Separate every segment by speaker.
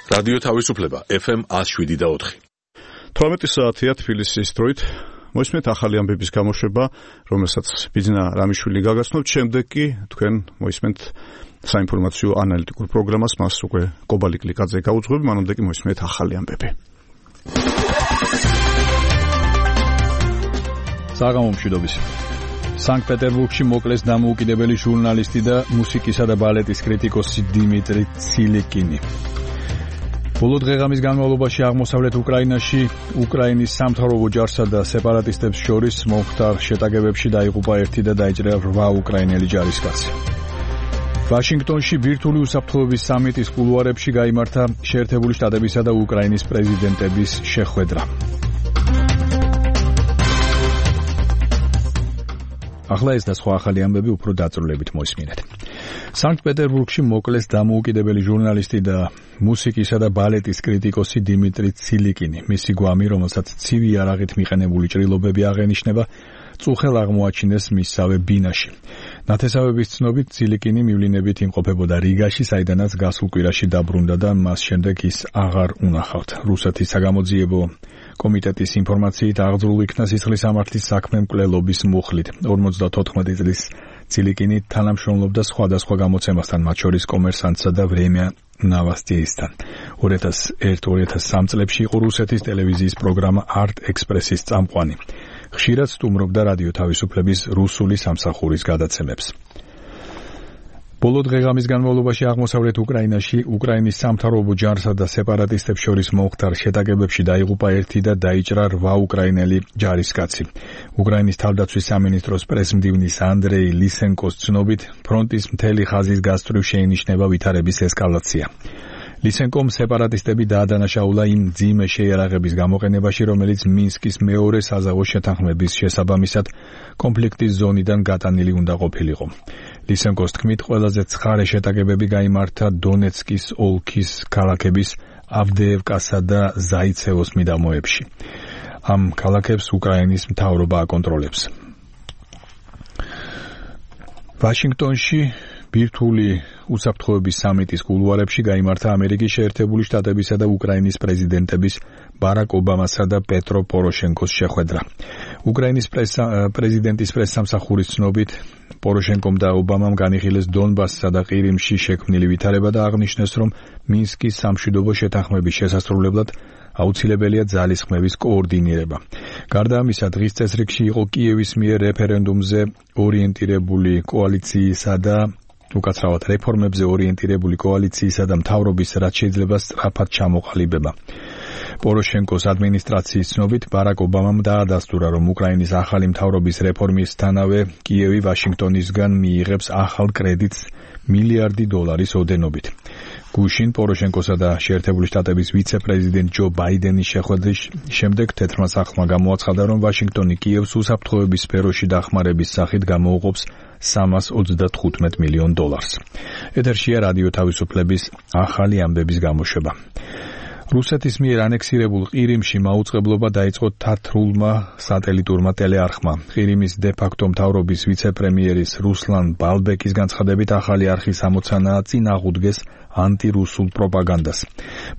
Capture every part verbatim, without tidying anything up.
Speaker 1: რადიო თავისუფლება ეფ ემ one oh seven და four.
Speaker 2: თორმეტი საათია თბილისის დროით. მოისმენთ ახალი ამბების გამოშვება, რომელსაც ბიძინა რამიშვილი გაგაცნობთ. შემდეგ კი თქვენ მოისმენთ საინფორმაციო ანალიტიკურ პროგრამას, მას უკვე კობალი კლიკაძე გაუძღვები, მანამდე კი მოისმენთ ახალი ამბები.
Speaker 3: საღამომშვიდობის. სანქტ-პეტერბურგში მოკლეს დამოუკიდებელი ჟურნალისტი და მუსიკისა და ბალეტის კრიტიკოსი დიმიტრი ცილიკინი. ბოლო დღეღამის განმავლობაში აღმოსავლეთ უკრაინაში უკრაინის სამთავრობო ჯარსა და სეპარატისტებს შორის მომხდარ შეტაკებებში დაიღუპა ერთი და დაიჭრა რვა უკრაინელი ჯარისკაცი. ვაშინგტონში ბირთვული უსაფრთხოების სამიტის კულუარებში გაიმართა შეერთებული შტატებისა და უკრაინის პრეზიდენტების შეხვედრა. ახლა ეს და სხვა ახალი ამბები უფრო დაწვრილებით მოისმინეთ. სანქტ-პეტერბურგში მოკლეს დამოუკიდებელი ჟურნალისტი და მუსიკისა და ბალეტის კრიტიკოსი დიმიტრი ცილიკინი. მისი გვამი, რომელსაც ცივი არაღით მიყენებული ჭრილობები აღენიშნება, წუხელ აღმოაჩინეს მისსავე ბინაში. ნათესავების ცნობით ცილიკინი მივლინებით იმყოფებოდა რიგაში, საიდანაც გასულ კვირაში დაბრუნდა და მას შემდეგ ის აღარ უნახავთ. რუსეთის საგამოძიებო კომიტეტის ინფორმაციით აღძრულ იქნა სისხლის სამართლის საქმე მკვლელობის მუხლით. ორმოცდათოთხმეტი წლის ცილიკინი თანამშრომლობდა სხვადასხვა გამოცემასთან, მათ შორის კომერსანტსა და ვრემია ნოვოსტიისთან. two thousand one two thousand three წლებში იყო რუსეთის ტელევიზიის პროგრამა არტ ექსპრესის წამყვანი. ხშირად სტუმრობდა რადიო თავისუფლების რუსული სამსახურის გადაცემებს. ბოლო დღეღამის განმავლობაში აღმოსავლეთ უკრაინაში უკრაინის სამთავრობო ჯარსა და სეპარატისტებს შორის მომხდარ შეტაკებებში დაიღუპა ერთი და დაიჭრა რვა უკრაინელი ჯარისკაცი. უკრაინის თავდაცვის სამინისტროს პრესმდივნის ანდრეი ლისენკოს ცნობით, ფრონტის მთელი ხაზის გასწვრივ შეინიშნება ვითარების ესკალაცია. ლისენკომ სეპარატისტები დაადანაშაულა იმ მძიმე შეიარაღების გამოყენებაში, რომელიც მინსკის მეორე საზავო შეთანხმების შესაბამისად კონფლიქტის ზონიდან გატანილი უნდა ყოფილიყო. ლისენკოს თქმით, ყველაზე ცხარე შეტაკებები გაიმართა დონეცკის ოლქის ქალაქების ავდეევკასა და ზაიცევოს მიდამოებში. ამ ქალაქებს უკრაინის მთავრობა აკონტროლებს. ვაშინგტონში ბირთვული უსაფრთხოების სამიტის კულუარებში გაიმართა ამერიკის შეერთებული შტატებისა და უკრაინის პრეზიდენტების ბარაკ ობამასა და პეტრო პოროშენკოს შეხვედრა. უკრაინის პრეზიდენტის პრესსამსახურის ცნობით, პოროშენკომ და ობამამ განიხილეს დონბასსა და ყირიმში შექმნილი ვითარება და აღნიშნეს, რომ მინსკის სამშვიდობო შეთანხმების შესასრულებლად აუცილებელია ძალისხმევის კოორდინირება. გარდა ამისა, დღის წესრიგში იყო კიევის მიერ რეფერენდუმზე ორიენტირებული კოალიციისა და უკაცრავად რეფორმებზე ორიენტირებული კოალიციისა და მთავრობის რაც შეიძლება სწრაფად ჩამოყალიბება. პოროშენკოს ადმინისტრაციის ცნობით, ბარაკ ობამამ დაადასტურა, რომ უკრაინის ახალი მთავრობის რეფორმისთანავე კიევი ვაშინგტონისგან მიიღებს ახალ კრედიტს მილიარდი დოლარის ოდენობით. გუშინ პოროშენკოსა და შეერთებული შტატების ვიცე-პრეზიდენტ ჯო ბაიდენის შეხვედრის შემდეგ თეთრმა სახლმა გამოაცხადა, რომ ვაშინგტონი კიევს უსაფრთხოების სფეროში დახმარების სახით გამოუყოფს სამას ოცდათხუთმეტ მილიონ დოლარს. ეთერშია რადიო თავისუფლების ახალი ამბების გამოშვება. რუსეთის მიერ ანექსირებულ ყირიმში მაუწყებლობა დაიწყო თათრულმა სატელიტურმა ტელეარხმა. ყირიმის დე-ფაქტო მთავრობის ვიცე-პრემიერის რუსლან ბალბეკის განცხადებით, ახალი არხის ამოცანაა წინ აღუდგეს ანტირუსულ პროპაგანდას.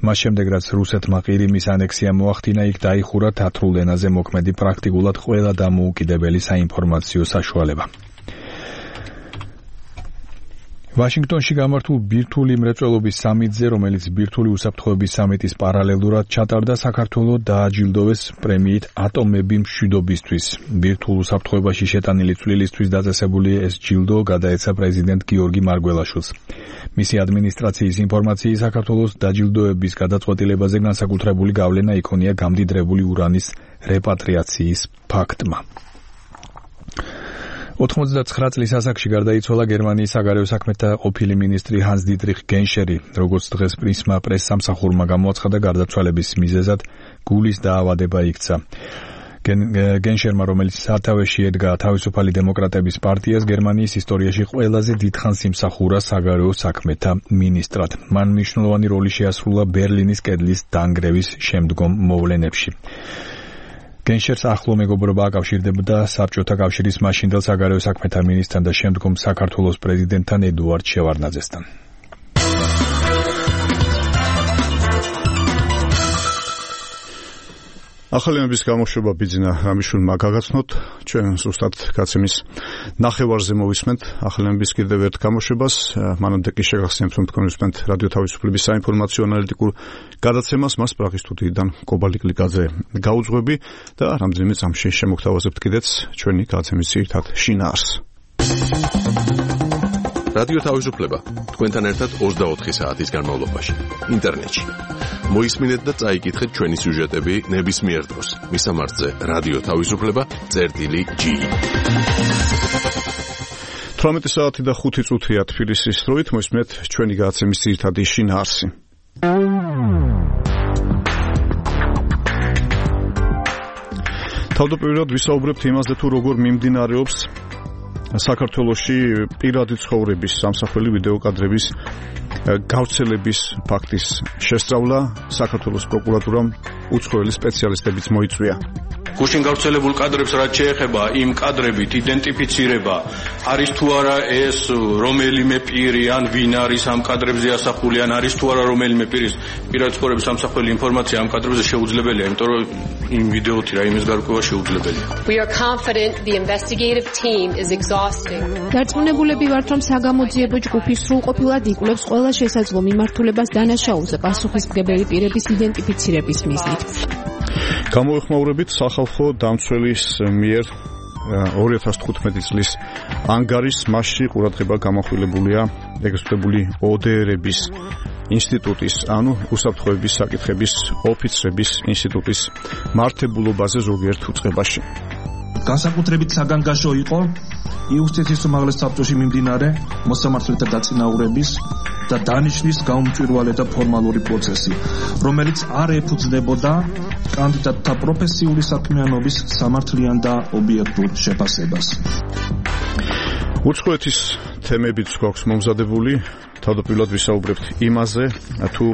Speaker 3: მას შემდეგ, რაც რუსეთმა ყირიმის ანექსია მოახდინა, იქ დაიხურა თათრულ ენაზე მოქმედი პრაქტიკულად ყველა დამოუკიდებელი საინფორმაციო საშუალება. ვაშინგტონში გამართულ ბირთვული მრეწველობის სამიტზე, რომელიც ბირთვული უსაფრთხოების სამიტის პარალელურად ჩატარდა, საქართველოს დააჯილდოვეს პრემიით ატომები მშვიდობისთვის. ბირთვულ უსაფრთხოებაში შეტანილი წვლილისთვის დაწესებული ეს ჯილდო გადაეცა პრეზიდენტ გიორგი მარგველაშვილს. მისი ადმინისტრაციის ინფორმაციით, საქართველოს დაჯილდოების გადაწყვეტილებაზე განსაკუთრებული გავლენა იქონია გამდიდრებული ურანის რეპატრიაციის ფაქტმა. ოთხმოცდაცხრა წლის ასაკში გარდაიცვალა გერმანიის საგარეო საქმეთა ყოფილი მინისტრი ჰანს დიტრიხ გენშერი, როგორც დღეს პრისმა პრესსამსახურმა გამოაცხადა, გარდაცვალების მიზეზად გულის დაავადება იქცა. გენშერმა, რომელიც სათავეში ედგა თავისუფალი დემოკრატების პარტიას, გერმანიის ისტორიაში ყველაზე დიდხანს იმსახურა საგარეო საქმეთა მინისტრად. მან მნიშვნელოვანი როლი შეასრულა ბერლინის კედლის დანგრევის შემდგომ მოვლენებში. გენშერს ახლო მეგობრობა აკავშირდებოდა საბჭოთა კავშირის მაშინდელ საგარეო საქმეთა მინისტრთან და შემდგომ საქართველოს პრეზიდენტთან ედუარდ შევარდნაძესთან.
Speaker 2: ახალიანების გამოშვება ბიძინა რამიშვილმა გაგაცნოთ, ჩვენ ზუსტად გაცემის ნახევარზე მოვისმენთ ახალიანების კიდევ ერთ გამოშვებას, მანამდე კი შეგახსენებთ, რომ თქვენ ვისმენთ რადიო თავისუფლების საინფორმაციო ანალიტიკურ გადაცემას, მას პრაღის სტუდიიდან კობალიკ ლიკაძე გაუძღვები და რამდენიმე წამში შემოგთავაზებთ კიდეც ჩვენი გადაცემის ძირითად შინაარსს.
Speaker 1: რადიო თავისუფლება თქვენთან ერთად ოცდაოთხი საათის განმავლობაში ინტერნეტში. მოისმინეთ და წაიკითხეთ ჩვენი სიუჟეტები ნებისმიერ დროს. მისამართზე რადიო თავისუფლება წერტილი ჯი.
Speaker 2: თვრამეტი საათი და ხუთი წუთია თბილისის დროით, მოისმინეთ ჩვენი გადაცემის ძირითადი შინაარსი. თავდაპირველად ვისაუბრებთ იმაზე, თუ როგორ მიმდინარეობს საქართველოში პირადი ცხოვრების სამსახველი ვიდეო კადრების გავრცელების ფაქტის შესწავლა. საქართველოს პროკურატურამ უცხოელი სპეციალისტებიც მოიწვია.
Speaker 4: გუშინ გავრცელებულ კადრებს რაც შეეხება იმ კადრებით იდენტიფიცირება არის თუ არა ეს რომელიმე პირი ან ვინ არის ამ კადრებზე ასახული ან არის თუ არა რომელიმე პირის პირადი ცხოვრების სამსახველი ინფორმაცია ამ კადრებზე შეუძლებელია, იმიტომ რომ იმ ვიდეოთი რა იმის გარკვევა შეუძლებელია.
Speaker 5: We are confident the investigative team is exhausting.
Speaker 6: დარწმუნებულები ვართ, რომ საგამოძიებო ჯგუფი სრულყოფილად იკვლევს ყველა შესაძლო მიმართულებას დანაშაულზე პასუხისმგებელი პირების იდენტიფიცირების მიზნით.
Speaker 2: გამოეხმაურებით სახალხო დამცველის მიერ ორი ათას თხუთმეტი წლის ანგარის მასში ყურადღება გამახვილებულია ეგრეთ წოდებული ო დე ერების ინსტიტუტის, ანუ უსაფრთხოების საკითხების ოფიცრების ინსტიტუტის მართებულობაზე ზოგიერთ უწყებაში.
Speaker 7: განსაკუთრებით საგანგაშო იყო იუსტიციის უმაღლეს საბჭოში მიმდინარე მოსამართლეთა დაწინაურების და დანიშნის გაუმჭვირვალე და ფორმალური პროცესი, რომელიც არ ეფუძნებოდა კანდიდატთა პროფესიული საქმიანობის სამართლიან და ობიექტურ შეფასებას.
Speaker 2: უცხოეთის თემებიც გვაქვს მომზადებული. თავდაპირველად ვისაუბრებთ იმაზე, თუ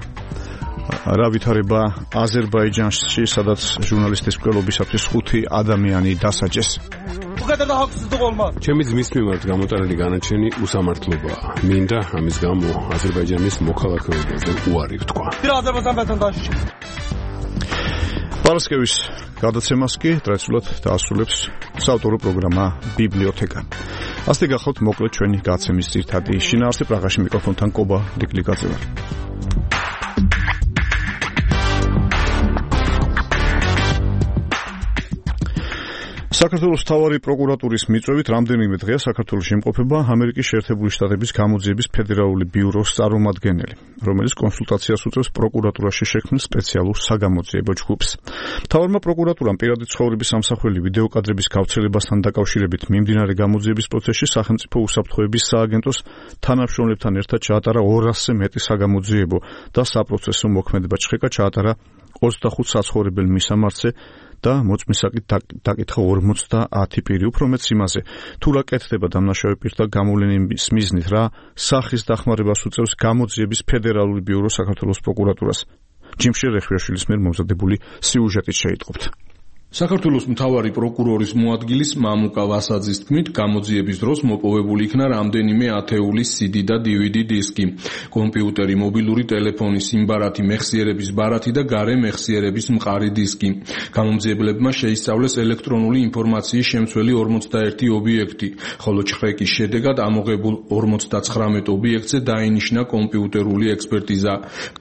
Speaker 2: რა ვითარება აზერბაიჯანში, სადაც ჟურნალისტის მკვლელობისათვის ხუთი ადამიანი დასაჯეს.
Speaker 8: ჩემი ძმის მიმართ გამოტანილი განაჩენი უსამართლობაა. მინდა ამის გამო აზერბაიჯანის მოქალაქეობაზე უარი ვთქვა.
Speaker 2: პარასკევის გადაცემას კი ტრადიციულად დაასრულებს საავტორო პროგრამა ბიბლიოთეკა. ასეთი გახლავთ მოკლედ ჩვენი გადაცემის ძირითადი შინაარსი. პრაღაში მიკროფონთან კობა ლიკაძე ვარ. საქართველოს მთავარი პროკურატურის მიწვევით რამდენიმე დღეა საქართველოში იმყოფება ამერიკის შეერთებული შტატების გამოძიების ფედერალური ბიუროს წარმომადგენელი, რომელიც კონსულტაციას უწევს პროკურატურაში შექმნილ სპეციალურ საგამოძიებო ჯგუფს. მთავარმა პროკურატურამ პირადი ცხოვრების სამსახველი ვიდეო კადრების გავრცელებასთან დაკავშირებით მიმდინარე გამოძიების პროცესში სახელმწიფო უსაფრთხოების სააგენტოს თანამშრომლებთან ერთად ჩაატარა ორასზე მეტი საგამოძიებო და საპროცესო მოქმედება. ჩხეკა ჩაატარა ოცდახუთ საცხოვრებელ მისამართზე და მოწმისაკით დაკითხა ორმოცდაათი პირი. უფრო მეც იმაზე, თუ რა კეთდება დამნაშავე პირთა გამოვლენის მიზნით, რა სახის დახმარებას უწევს გამოძიების ფედერალური ბიურო საქართველოს პროკურატურას. ჯიმშე რეხვიაშვილის მიერ მომზადებული სიუჟეტით შეიტყობთ.
Speaker 9: საქართველოს მთავარი პროკურორის მოადგილის მამუკა ვასაძის თქმით, გამოძიების დროს მოპოვებული იქნა რამდენიმე ათეულის სი დი და დი ვი დი დისკი, კომპიუტერი, მობილური ტელეფონი, სიმბარათი, მეხსიერების ბარათი და გარე მეხსიერების მყარი დისკი. გამომძიებლებმა შეისწავლეს ელექტრონული ინფორმაციის შემცველი ორმოცდაერთი ობიექტი, ხოლო ჩხრეკის შედეგად ამოღებულ ორმოცდაცხრამეტ ობიექტზე დაინიშნა კომპიუტერული ექსპერტიზა.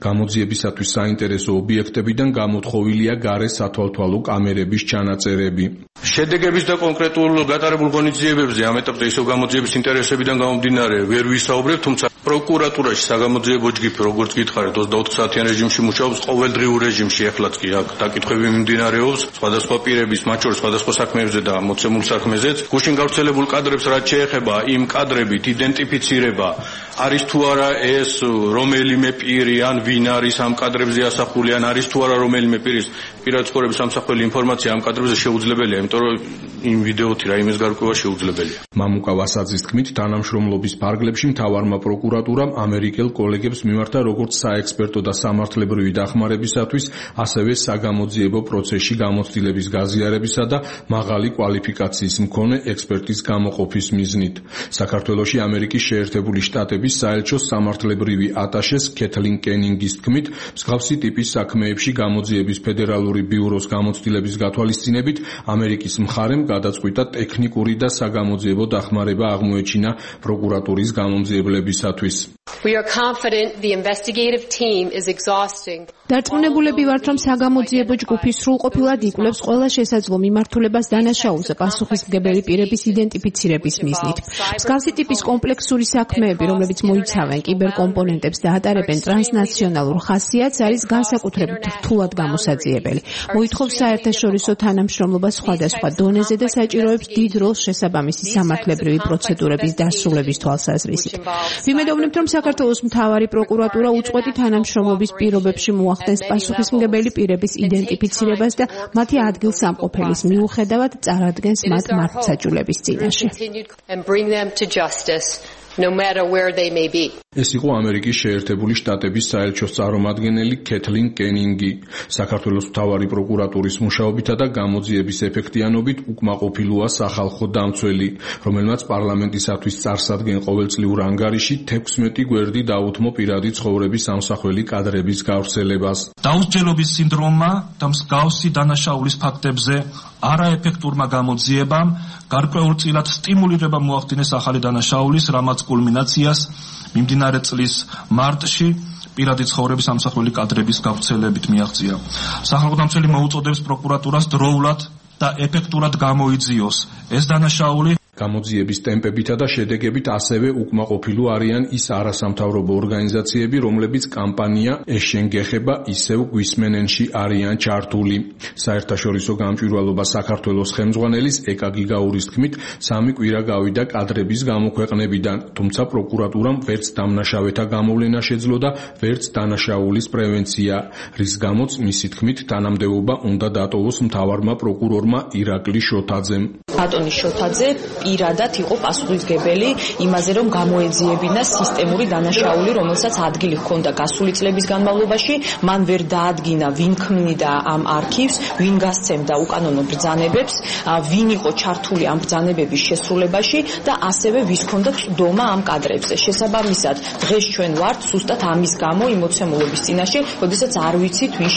Speaker 9: გამოძიებისათვის საინტერესო ობიექტებიდან გამოთხოვილია გარე სათვალთვალო კამერების ჩანაწერები.
Speaker 4: შედეგების და კონკრეტულ გატარებულ ღონისძიებებზე ამ ეტაპზე ისევ გამოძიების ინტერესებიდან გამომდინარე ვერ ვისაუბრებ, თუმცა პროკურატურაში საგამოძიებო ჯგუფი, როგორც გითხარით, ოცდაოთხ საათიან რეჟიმში მუშაობს, ყოველდღიურ რეჟიმში ეხლაც კი აქ დაკითხვები მიმდინარეობს, სხვადასხვა პირების, მათ შორის სხვადასხვა საქმეებზე და მოცემულ საქმეზეც. გუშინ გავრცელებულ კადრებს რაც შეეხება იმ კადრებით იდენტიფიცირება არის თუ არა ეს რომელიმე პირი ან ვინ არის ამ კადრებზე ასახული ან არის თუ არა რომელიმე პირის პირადი ცხოვრების სამსახველი ინფორმაცია ამ კადრებზე შეუძლებელია, იმიტომ რომ იმ ვიდეოთი რა იმის გარკვევა შეუძლებელია.
Speaker 9: მამუკა ვასაძის თქმით, თანამშრომლობის ფარგლებში მთავარმა პროკურატურამ პროკურატურამ ამერიკელ კოლეგებს მიმართა როგორც საექსპერტო და სამართლებრივი დახმარებისათვის, ასევე საგამოძიებო პროცესში გამოცდილების გაზიარებისა და მაღალი კვალიფიკაციის მქონე ექსპერტის გამოყოფის მიზნით. საქართველოში ამერიკის შეერთებული შტატების საელჩოს სამართლებრივი ატაშეს ქეთლინ კენინგის თქმით, მსგავსი ტიპის საქმეებში გამოძიების ფედერალური ბიუროს გამოცდილების გათვალისწინებით ამერიკის მხარემ გადაწყვიტა ტექნიკური და საგამოძიებო დახმარება აღმოეჩინა პროკურატურის გამომძიებლებისათვის.
Speaker 5: We are confident the investigative team is exhausting.
Speaker 6: დარწმუნებულები ვართ, რომ საგამოძიებო ჯგუფი სრულყოფილად იკვლევს ყველა შესაძლო მიმართულებას დანაშაულზე პასუხისმგებელი პირების იდენტიფიცირების მიზნით. მსგავსი ტიპის კომპლექსური საქმეები, რომლებიც მოიცავენ კიბერკომპონენტებს და ატარებენ ტრანსნაციონალურ ხასიათს, არის განსაკუთრებით რთულად გამოსაძიებელი. მოითხოვს საერთაშორისო თანამშრომლობას სხვადასხვა დონეზე და საჭიროებს დიდ როლს შესაბამისი სამართლებრივი პროცედურების დასრულების თვალსაზრისით. ვიმედოვნებთ, რომ საქართველოს მთავარი პროკურატურა უწყვეტი თანამშრომლობის პირობებში მოახდენს პასუხისმგებელი პირების იდენტიფიცირებას და მათი ადგილსამყოფელის მიუხედავად წარადგენს მათ მართლმსაჯულების წინაშე.
Speaker 5: No matter where they may be.
Speaker 9: ეს იყო ამერიკის შეერთებული შტატების საელჩოს წარმომადგენელი ქეთლინ კენინგი. საქართველოს მთავარი პროკურატურის მუშაობითა და გამოძიების ეფექტიანობით უკმაყოფილოა სახალხო დამცველი, რომელმაც პარლამენტისათვის წარსადგენ ყოველწლიურ ანგარიში თექვსმეტი გვერდი დაუთმო პირადი ცხოვრების ამსახველი კადრების გავრცელებას.
Speaker 7: დაუსჯელობის სინდრომმა და მსგავსი დანაშაულის ფაქტებზე არაეფექტურმა გამოძიებამ გარკვეულწილად სტიმულირება მოახდინეს ახალი დანაშაულის, რამაც კულმინაციას მიმდინარე წლის მარტში პირადი ცხოვრების ამსახველი კადრების გავრცელებით მიაღწია. სახალხო დამცველი მოუწოდებს პროკურატურას დროულად და ეფექტურად გამოიძიოს ეს დანაშაული.
Speaker 9: გამოძიების ტემპებითა და შედეგებით ასევე უკმაყოფილო არიან ის არასამთავრობო ორგანიზაციები, რომლებიც კამპანია ეს შენ გეხება ისევ გვისმენენში არიან ჩართული. საერთაშორისო გამჭვირვალობა საქართველოს ხელმძღვანელის ეკა გიგაურის თქმით, სამი კვირა გავიდა კადრების გამოქვეყნებიდან, თუმცა პროკურატურამ ვერც დამნაშავეთა გამოვლენა შეძლო და ვერც დანაშაულის პრევენცია, რის გამოც მისი თქმით თანამდებობა უნდა დატოვოს მთავარმა პროკურორმა ირაკლი შოთაძემ.
Speaker 10: ბატონი შოთაძე პირადად იყო პასუხისმგებელი იმაზე, რომ გამოეძიებინა სისტემური დანაშაული, რომელსაც ადგილი ჰქონდა გასული წლების განმავლობაში, მან ვერ დაადგინა, ვინ ქმნიდა ამ არქივს, ვინ გასცემდა უკანონო ბრძანებებს, ვინ იყო ჩართული ამ ბრძანებების შესრულებაში და ასევე ვის ჰქონდა წვდომა ამ კადრებზე. შესაბამისად, დღეს ჩვენ ვართ სუსტად ამის გამო იმოცემულობის წინაშე, როდესაც არ ვიცით, ვინ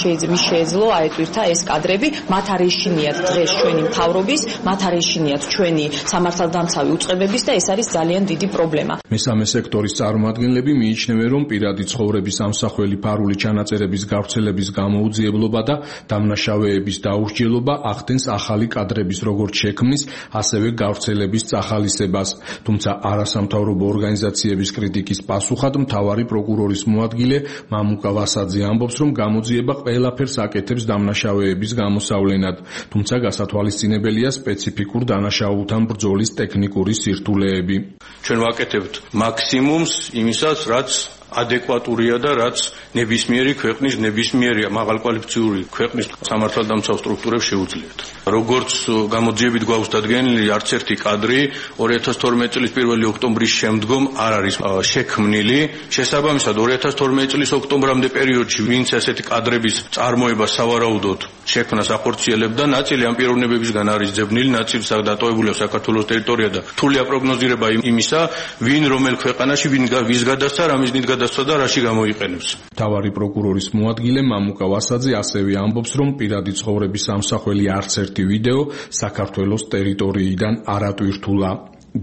Speaker 10: შეეძლო აეტვირთა ეს კადრები, მათ არ ეშინიათ დღეს ჩვენი მთავრობის, მათ არ ეშინიათ ჩვენი სამართალდამცავი უწყებების და ეს არის ძალიან დიდი პრობლემა.
Speaker 9: მესამე სექტორის წარმომადგენლები მიიჩნევენ, რომ პირადი ცხოვრების ამსახველი ფარული ჩანაწერების გავრცელების გამოუძიებლობა და დამნაშავეების დაუსჯელობა ახდენს ახალი კადრების როგორც შექმნის, ასევე გავრცელების წახალისებას. თუმცა არასამთავრობო ორგანიზაციების კრიტიკის პასუხად მთავარი პროკურორის მოადგილე მამუკა ვასაძე ამბობს, რომ გამოძიება ყველაფერს აკეთებს დამნაშავეების გამოსავლენად, თუმცა გასათვალისწინებელია სპეციფიკურ დანაშაულთან ბრძოლის ტექნიკური სირთულეები.
Speaker 4: ჩვენ ვაკეთებთ მაქსიმუმს იმისაც, რაც ადეკვატურია და რაც ნებისმიერი ქვეყნის, ნებისმიერი მაღალკვალიფიციური ქვეყნის სამართალდამცავ სტრუქტურებს შეუძლიათ. როგორც გამოძიებით გვაქვს დადგენილი, არც ერთი კადრი ორი ათას თორმეტი წლის პირველი ოქტომბრის შემდგომ არ არის შექმნილი. შესაბამისად, ორი ათას თორმეტი წლის ოქტომბრამდე პერიოდში ვინც ასეთი კადრების წარმოება სავარაუდოდ შექმნას ახორციელებდა, ნაწილი ამ პიროვნებებისგან არის ძებნილი, ნაწილი დატოვებულია საქართველოს ტერიტორია და რთულია პროგნოზირება იმისა, ვინ რომელ ქვეყანაში, ვინ ვის გადასცა, რამის დიდ გადასცა და რაში გამოიყენებს.
Speaker 9: მთავარი პროკურორის მოადგილე მამუკა ვასაძე ასევე ამბობს, რომ პირადი ცხოვრების ამსახველი არც ერთი ვიდეო საქართველოს ტერიტორიიდან არ ატვირთულა.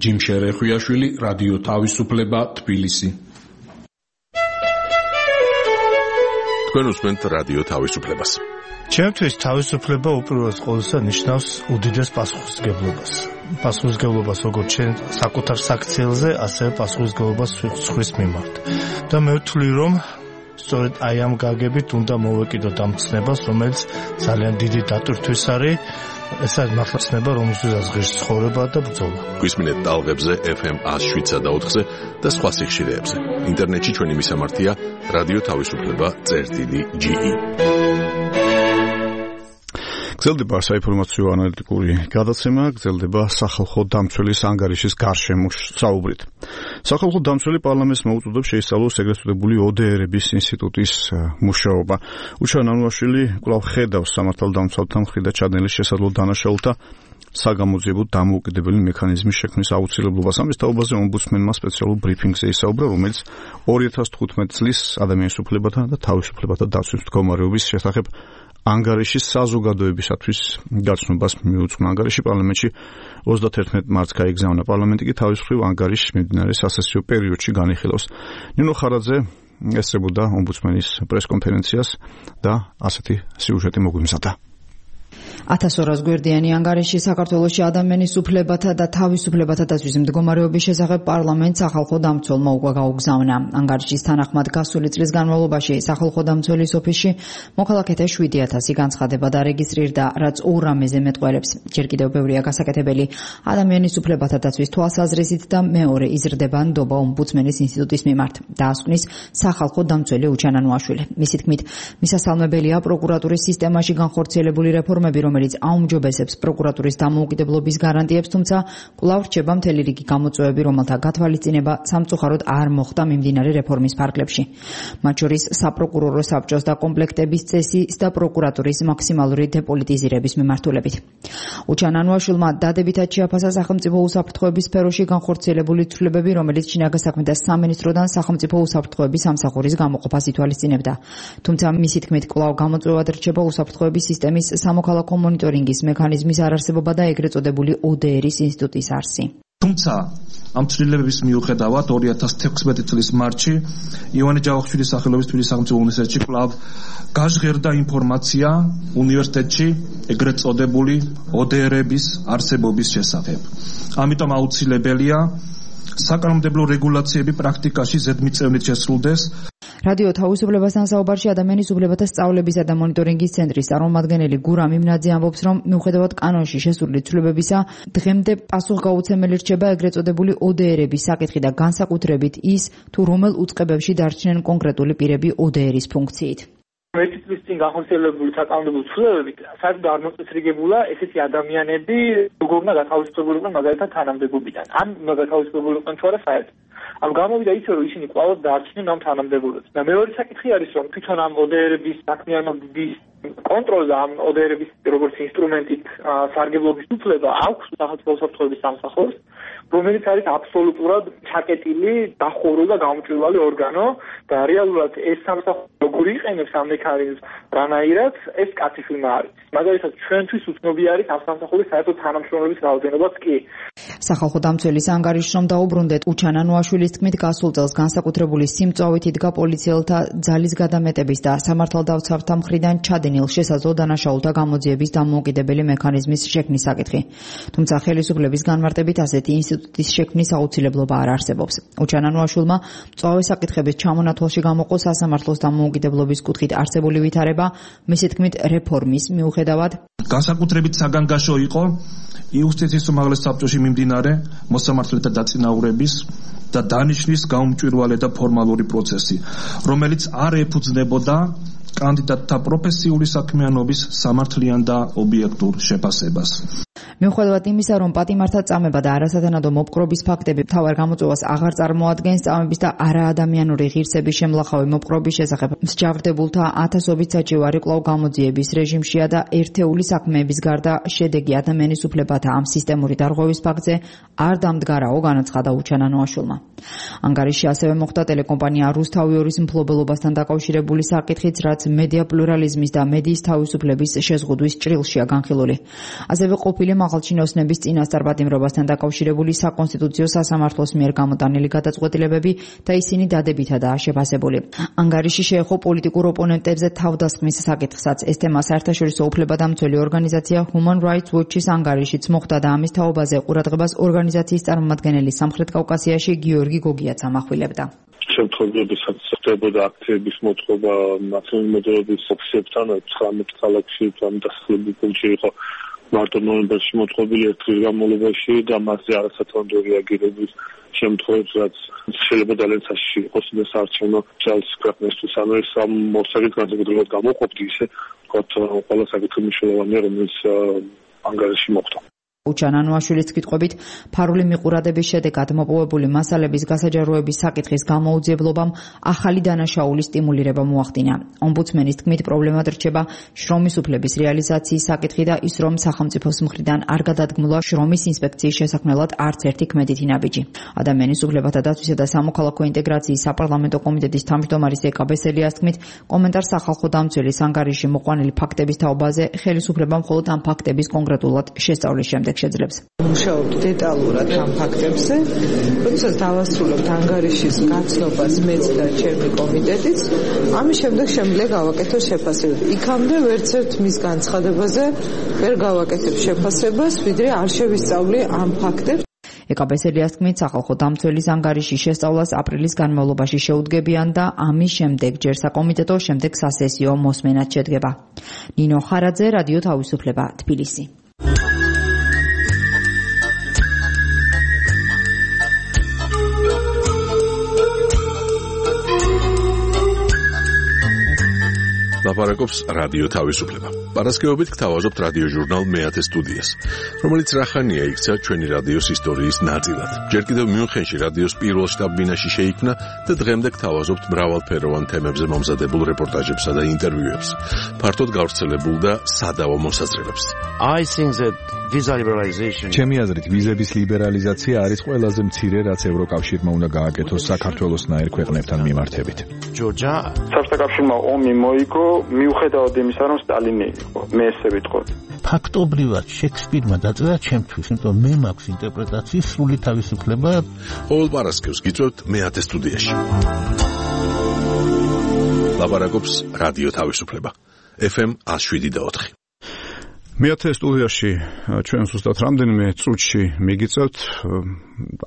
Speaker 9: ჯიმ შერეხვიაშვილი, რადიო თავისუფლება, თბილისი.
Speaker 1: თქვენ უსმენთ რადიო თავისუფლებას.
Speaker 11: ჩემთვის თავისუფლება უპირველეს ყოვლისა ნიშნავს უდიდეს პასუხისმგებლობას. პასუხისმგებლობას როგორც ჩვენ საკუთარ საქციელზე, ასევე პასუხისმგებლობას სხვის მიმართ. და მე ვთვლი, რომ სწორედ აი ამ გაგებით უნდა მოვეკიდოთ ამ ცნებას, რომელიც ძალიან დიდი დატვირთვის არის. ეს არის მართლაცნება, რომელსაც ღირს ცხოვრება და ბრძოლა.
Speaker 1: გვისმინეთ ტალღებზე ეფ ემ ათს შვიდსა და ოთხზე და სხვა სიხშირეებზე. ინტერნეტში ჩვენი მისამართია რადიო თავისუფლება წერტილი ჯი ი.
Speaker 2: გრძელდება საინფორმაციო ანალიტიკური გადაცემა, გრძელდება სახალხო დამცველის ანგარიშის გარშემო საუბრით. სახალხო დამცველი პარლამენტს მოუწოდებს შეისწავლოს ეგრეთ წოდებული ო დე ერების ინსტიტუტის მუშაობა. უჩან ანუაშვილი კვლავ ხედავს სამართალდამცველთა მხრიდან ჩადენილი შესაძლო დანაშაულთა საგამოძიებო დამოუკიდებელი მექანიზმის შექმნის აუცილებლობას. ამის თაობაზე ომბუდსმენმა სპეციალურ ბრიფინგზე ისაუბრა, რომელიც ორი ათას თხუთმეტი წლის ადამიანის უფლებათა და თავისუფლებათა დაცვის მდგომარეობის შესახებ ანგარიშის საზოგადოებისათვის გაცნობას მიუძღვნა. ანგარიში პარლამენტში ოცდათერთმეტი მარტს გაიგზავნა. პარლამენტი კი თავის მხრივ ანგარიშს მიმდინარე სასესიო პერიოდში განიხილავს. ნინო ხარაძე ესწრებოდა ომბუდსმენის პრესკონფერენციას და ასეთი სიუჟეტი მოგვიმზადა.
Speaker 12: ათას ორას გვერდიანი ანგარიში საქართველოში ადამიანის უფლებათა და თავისუფლებათა დაცვის მდგომარეობის შესახებ პარლამენტს სახალხო დამცველმა უკვე გაუგზავნა. ანგარიშის თანახმად გასული წლის განმავლობაში სახალხო დამცველის ოფისში მოქალაქეთა შვიდი ათასი განცხადება დარეგისტრირდა, რაც ორ რამეზე მეტყველებს. ჯერ კიდევ ბევრია გასაკეთებელი ადამიანის უფლებათა დაცვის თვალსაზრისით და მეორე იზრდება ნდობა ომბუდსმენის ინსტიტუტის მიმართ. დაასკვნის სახალხო დამცველი უჩან ანუაშვილი. მისი თქმით, მისასალმებელია პროკურატურის სისტემაში განხორციელებული რეფორმები, რომელიც აუმჯობესებს პროკურატურის დამოუკიდებლობის გარანტიებს, თუმცა კვლავ რჩება მთელი რიგი გამოწვევები, რომელთა გათვალისწინება სამწუხაროდ არ მოხდა მიმდინარე რეფორმის ფარგლებში. მათ შორის საპროკურორო საბჭოს დაკომპლექტების წესის და პროკურატურის მაქსიმალური დეპოლიტიზირების მიმართულებით. უჩან ანუაშვილმა დადებითად შეაფასა სახელმწიფო უსაფრთხოების სფეროში განხორციელებული ცვლილებები, რომელიც შინაგან საქმეთა სამინისტროდან სახელმწიფო უსაფრთხოების სამსახურის გამოყოფას ითვალისწინებდა. თუმცა მისი თქმით, კვლავ გამოწვევად რჩება უსაფრთხოების სისტემის სამოქალაქო მონიტორინგის მექანიზმის არარსებობა და ეგრეთ წოდებული ო დე ერის ინსტიტუტის არსი.
Speaker 7: თუმცა ამ ცვლილებების მიუხედავად ორი ათას თექვსმეტი წლის მარტში ივანე ჯავახიშვილის სახელობის თბილისის სახელმწიფო უნივერსიტეტში კვლავ გაჟღერდა ინფორმაცია უნივერსიტეტში ეგრეთ წოდებული ო დე ერების არსებობის შესახებ. ამიტომ აუცილებელია საკანონმდებლო რეგულაციები პრაქტიკაში ზედმიწევნით შესრულდეს.
Speaker 12: რადიო თავისუფლებასთან საუბარში ადამიანის უფლებათა სწავლებისა და მონიტორინგის ცენტრის წარმომადგენელი გურამ იმნაძე ამბობს, რომ მიუხედავად კანონში შესული ცვლილებებისა, დღემდე პასუხგაუცემელი რჩება ეგრეთ წოდებული ო დე ერების საკითხი და განსაკუთრებით ის, თუ რომელ უწყებებში დარჩნენ კონკრეტული პირები ო დე ერის ფუნქციით.
Speaker 13: ერთი წლის წინ განხორციელებული საკანონმდებლო ცვლილებებით საერთოდ არ მოწესრიგებულა ესეთი ადამიანები, როგორ უნდა გათავისუფლებულიყვნენ მაგალითად თანამდებობიდან. ან უნდა გათავისუფლებულიყვნენ თუ არა საერთოდ. ამ გამოვიდა ისე, რომ ისინი კვლავ დარჩნენ ამ თანამდებობებს. და მეორე საკითხი არის, რომ თვითონ ამ ო დე ერების საქმიანობის კონტროლს და ამ ო დე ერების როგორც ინსტრუმენტით სარგებლობის უფლება აქვს სახელმწიფო უსაფრთხოების სამსახურს, რომელიც არის აბსოლუტურად ჩაკეტილი, დახურული და გამჭვირვალე ორგანო და რეალურად ეს სამსახური როგორ იყენებს ამ მექანიზმს, რანაირად ეს კაცი ფილმა არის. მაგალითად, ჩვენთვის უცნობი არის ამ სამსახურის საერთოდ თანამშრომლების რაოდენობაც კი.
Speaker 12: სახალხო დამცველის ანგარიშს რომ დაუბრუნდეთ, უჩან ანუაშვილის თქმით, გასულ წელს განსაკუთრებული სიმწვავით იდგა პოლიციელთა ძალის გადამეტების და სამართალდამცავთა მხრიდან ჩადენილ შესაძლო დანაშაულთა გამოძიების დამოუკიდებელი მექანიზმის შექმნის საკითხი. თუმცა ხელისუფლების განმარტებით ასეთი ინსტიტუტის შექმნის აუცილებლობა არ არსებობს. უჩან ანუაშვილმა მწვავე საკითხების ჩამონათვალში გამოყო სასამართლოს დამოუკიდებლობის კუთხით არსებული ვითარება, მისი თქმით, რეფორმის მიუხედავად
Speaker 7: განსაკუთრებით საგანგაშო იყო იუსტიციის უმაღლეს საბჭოში მიმდინარე მოსამართლეთა დაწინაურების და დანიშნვის გაუმჭვირვალე და ფორმალური პროცესი, რომელიც არ ეფუძნებოდა კანდიდატთა პროფესიული საქმიანობის სამართლიან და ობიექტურ შეფასებას.
Speaker 12: მიუხედავად იმისა, რომ პატიმართა წამება და არასათანადო მოპყრობის ფაქტები მთავარ გამოწვევას აღარ წარმოადგენს, წამების და არაადამიანური ღირსების შემლახავი მოპყრობის შესახებ მსჯავრდებულთა ათასობით საჭიროარი კვლავ გამოძიების რეჟიმშია და ერთეული საქმეების გარდა შედეგი ადამიანის უფლებათა ამ სისტემური დარღვევის ფაქტზე არ დამდგარაო, განაცხადა უჩან ანუაშვილმა. ანგარიში ასევე მოხდა ტელეკომპანია რუსთავიორის მფლობელობასთან დაკავშირებული საკითხიც, რაც მედია პლურალიზმის და მედიის თავისუფლების შეზღუდვის ჭრილშია განხილული. ასევე ყოფილი მაღალჩინოსნების წინასწარ პატიმრობასთან დაკავშირებული საკონსტიტუციო სასამართლოს მიერ გამოტანილი გადაწყვეტილებები და ისინი დადებითადაა შეფასებული. ანგარიში შეეხო პოლიტიკურ ოპონენტებზე თავდასხმის საკითხსაც. ეს თემა საერთაშორისო უფლებადამცველი ორგანიზაცია Human Rights Watch-ის ანგარიშიც მოხდა და ამის თაობაზე ყურადღებას ორგანიზაციის წარმომადგენელი სამხრეთ კავკასიაში გიორგი გოგიაც ამახვილებდა.
Speaker 14: შემთხვევებისაც ხდებოდა აქტივების მოწყობა ნაციონალური მოძრაობის ოფისებთან ცხრამეტ ქალაქში, ამ დასახლებულ პუნქტში იყო მარტო ნოემბერში მოწყობილი ერთ დღის განმავლობაში და მასზე არასათანადო რეაგირების შემთხვევებს, რაც შეიძლება ძალიან საშიში იყოს და საარჩევნო ძალის ქვეყნისთვის. ანუ ეს ამ მოსაგით განსაკუთრებულად გამოყოფდი ისე, ვთქვათ, ყველა საკითხი მნიშვნელოვანია, რომელიც ანგარიში მოხდა.
Speaker 12: უჩანანუაშვილის კითხვებით ფარული მიყურადების შედეგად მოპოვებული მასალების გასაჯაროების საკითხის გამოუძიებლობამ ახალი დანაშაულის სტიმულირება მოახდინა. ომბუდსმენის თქმით, პრობლემად რჩება შრომის უფლების რეალიზაციის საკითხი და ის, რომ სახელმწიფოს მხრიდან არ გადადგმულა შრომის ინსპექციის შესაქმნელად არც ერთი ქმედითი ნაბიჯი. ადამიანის უფლებათა დაცვისა და სამოქალაქო ინტეგრაციის საპარლამენტო კომიტეტის თავმჯდომარის ეკა ბესელიას თქმით, კომენტარს სახალხო დამცველის ანგარიში მოყვანილი ფაქტების თაობაზე ხელისუფლება მხოლოდ ამ ფაქტების კონკრეტულად შესწავლის შემდეგ შეძლებს.
Speaker 15: მუშაობთ დეტალურად ამ ფაქტებზე, როდესაც დავასრულებთ ანგარიშის გაცნობას მეც და ჩემი კომიტეტიც, ამის შემდეგ შემიძლია გავაკეთოთ შეფასებები. იქამდე ვერცერთ მის განცხადებაზე ვერ გავაკეთებ შეფასებას, ვიდრე არ შევისწავლი ამ ფაქტებს.
Speaker 12: ეკა ბესელიას თქმით, სახალხო დამცველის ანგარიშის შესწავლას აპრილის განმავლობაში შეუდგებიან და ამის შემდეგ ჯერ საკომიტეტო, შემდეგ სასესიო მოსმენად შედგება. ნინო ხარაძე, რადიო თავისუფლება, თბილისი.
Speaker 1: ლაპარაკობს რადიო თავისუფლება. პარასკევობით გთავაზობთ რადიო ჟურნალ მეათე სტუდიას, რომელიც რახანია იქცა ჩვენი რადიოს ისტორიის ნაწილად. ჯერ კიდევ მიუნხენში რადიოს პირველ შტაბ-ბინაში შეიქმნა და დღემდე გთავაზობთ მრავალფეროვან თემებზე მომზადებულ რეპორტაჟებსა და ინტერვიუებს. ფართოდ გავრცელებულ და სადავო მოსაზრებებს.
Speaker 16: I think that visa liberalization
Speaker 3: ჩემი აზრით ვიზების ლიბერალიზაცია არის ყველაზე მცირე, რაც ევროკავშირმა უნდა გააკეთოს საქართველოსნაირ ქვეყნებთან მიმართებით.
Speaker 16: Georgia
Speaker 17: საბჭოთა კავშირმა ომი მოიგო მიუხედავად იმისა, რომ სტალინი იყო. მე ესე ვიტყოდი.
Speaker 18: ფაქტობრივად შექსპირმა დაწერა ჩემთვის, იმიტომ მე მაქვს ინტერპრეტაციის სრული თავისუფლება.
Speaker 1: ყოველ პარასკევს გიწევთ მეათე სტუდიაში. ლაპარაკობს რადიო თავისუფლება. ეფ ემ one oh seven point four.
Speaker 2: მეათე სტუდიაში ჩვენ ზუსტად რამდენიმე წუთში მიგიწევთ,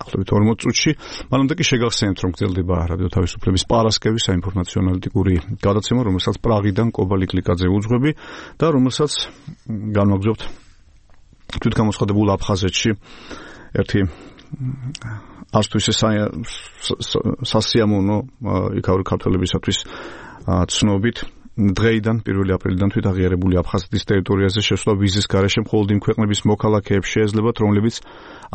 Speaker 2: ახლობით ორმოც წუთში. მანამდე კი შეგახსენებთ, რომ გრძელდება რადიო თავისუფლების პარასკევის საინფორმაციო ანალიტიკური გადაცემა, რომელსაც პრაღიდან კობალი კლიკაძე უძღვები და რომელსაც განვაგრძობთ თვითგამოცხადებულ აფხაზეთში ერთი არც თუ ისე სასიამოვნო იქაური ქართველებისათვის ცნობით. დღეიდან პირველი აპრილიდან თვითაღიარებული აფხაზეთის ტერიტორიაზე შესვლა ვიზის გარეშე მხოლოდ იმ ქვეყნების მოქალაქეებს შეეძლებათ, რომლებიც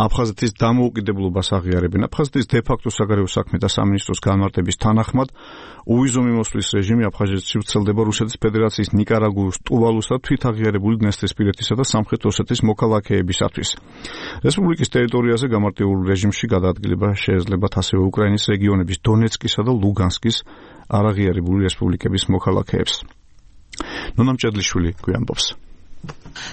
Speaker 2: აფხაზეთის დამოუკიდებლობას აღიარებენ. აფხაზეთის დე-ფაქტო საგარეო საქმეთა სამინისტროს განმარტების თანახმად, უვიზო მიმოსვლის რეჟიმი აფხაზეთში ვრცელდება რუსეთის ფედერაციის ნიკარაგუის, ტუვალუს და თვითაღიარებული დნესტრისპირეთისა და სამხრეთ ოსეთის მოქალაქეებისათვის. რესპუბლიკის ტერიტორიაზე გამარტივებულ რეჟიმში გადაადგილება შეეძლებათ ასევე უკრაინის რეგიონების დონეცკისა და ლუგანსკის არაღიარებული რესპუბლიკების მოქალაქეებს. ნონა მჭედლიშვილი გვიამბობს.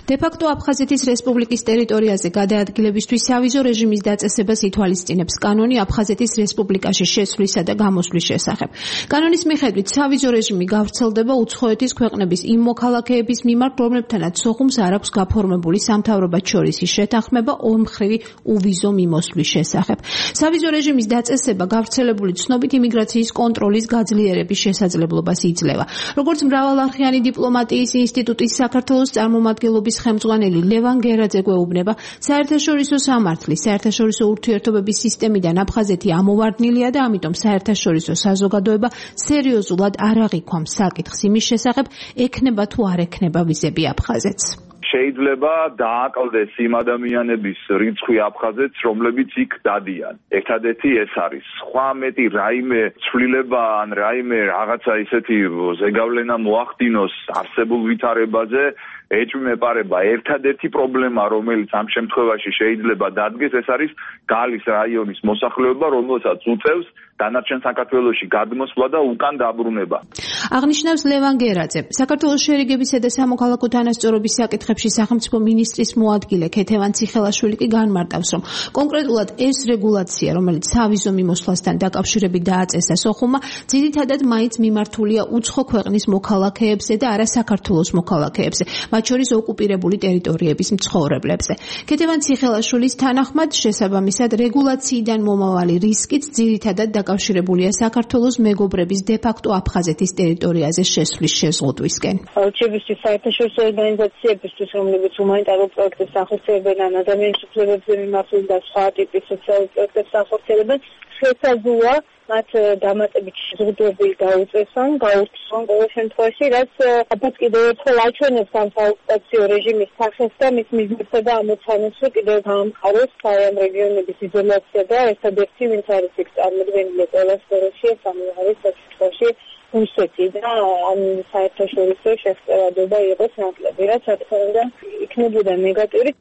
Speaker 6: დე-ფაქტო აფხაზეთის რესპუბლიკის ტერიტორიაზე გადაადგილებისთვის სავიზო რეჟიმის დაწესებას ითვალისწინებს კანონი აფხაზეთის რესპუბლიკაში შესვლისა და გამოსვლის შესახებ. კანონის მიხედვით სავიზო რეჟიმი გავრცელდება უცხოეთის ქვეყნების იმ მოქალაქეების მიმართ, რომლებთანაც სოხუმს არ აქვს გაფორმებული სამთავრობათ შორისი შეთანხმება ორმხრივი უვიზო მიმოსვლის შესახებ. სავიზო რეჟიმის დაწესება გავრცელებული ცნობით იმიგრაციის კონტროლის გაძლიერების შესაძლებლობას იძლევა. როგორც მრავალარხიანი დიპლომატიის ინსტიტუტის საქართველოს წარმომადგენლობის ხელმძღვანელი ლევან გერაძე გვეუბნება, საერთაშორისო სამართლის, საერთაშორისო ურთიერთობების სისტემიდან აფხაზეთი ამოვარდნილია და ამიტომ საერთაშორისო საზოგადოება სერიოზულად არ აღიქვამს საკითხს იმის შესახებ, ექნება თუ არ ექნება ვიზები აფხაზეთს.
Speaker 19: შეიძლება დააკლდეს იმ ადამიანების რიცხვი აფხაზეთს, რომლებიც იქ დადიან. ერთადერთი ეს არის. სხვა მეტი რაიმე ცვლილება ან რაიმე რაღაცა ისეთი ზეგავლენა მოახდინოს არსებულ ვითარებაზე ეჭვმეპარება. ერთადერთი პრობლემა, რომელიც ამ შემთხვევაში შეიძლება დადგეს, ეს არის გალის რაიონის მოსახლეობა, რომელსაც უწევს დანარჩენ საქართველოში გადმოსვლა და უკან დაბრუნება.
Speaker 6: აღნიშნავს ლევან გერაძე. საქართველოს შერიგებისა და სამოქალაქო თანასწორობის საკითხებში სახელმწიფო მინისტრის მოადგილე ქეთევან ციხელაშვილი კი განმარტავს, რომ კონკრეტულად ეს რეგულაცია, რომელიც სავიზო მიმოსვლასთან დაკავშირებით დააწესა სოხუმმა, ძირითადად მაინც მიმართულია უცხო ქვეყნის მოქალაქეებზე და არა საქართველოს მოქალაქეებზე, მათ შორის ოკუპირებული ტერიტორიების მცხოვრებლებზე. ქეთევან ციხელაშვილის თანახმად, შესაბამისად, რეგულაციიდან მომავალი რისკიც ძირითადად დაკავშირებულია საქართველოს მეგობრების დე-ფაქტო აფხაზეთის ტერიტორიაზე შესვლის შეზღუდვისკენ.
Speaker 20: არჩევისთვის საერთაშორისო ორგანიზაციებისთვის, რომლებიც ჰუმანიტარულ პროექტებს ახორციელებენ ან ადამიანის უფლებებზე მიმართულ და სხვა ტიპის სოციალურ პროექტებს ახორციელებენ, შესაძლოა მათ დამატებით შეზღუდვები გაუწესონ, გაურთმონ ყოველ შემთხვევაში, რაც ალბათ კიდევ ერთხელ აჩვენებს ამ საოკუპაციო რეჟიმის სახეს და მის მიზნებსა და ამოცანებს, რომ კიდევ გაამყაროს ამ რეგიონების იზოლაცია და ერთადერთი, ვინც არის იქ წარმოდგენილი ყველა სფეროში, ამ არის საკითხში რუსეთი და ამ საერთაშორისო შესწავლადობა იყოს ნაკლები, რაც რა თქმა უნდა იქნებოდა ნეგატიური.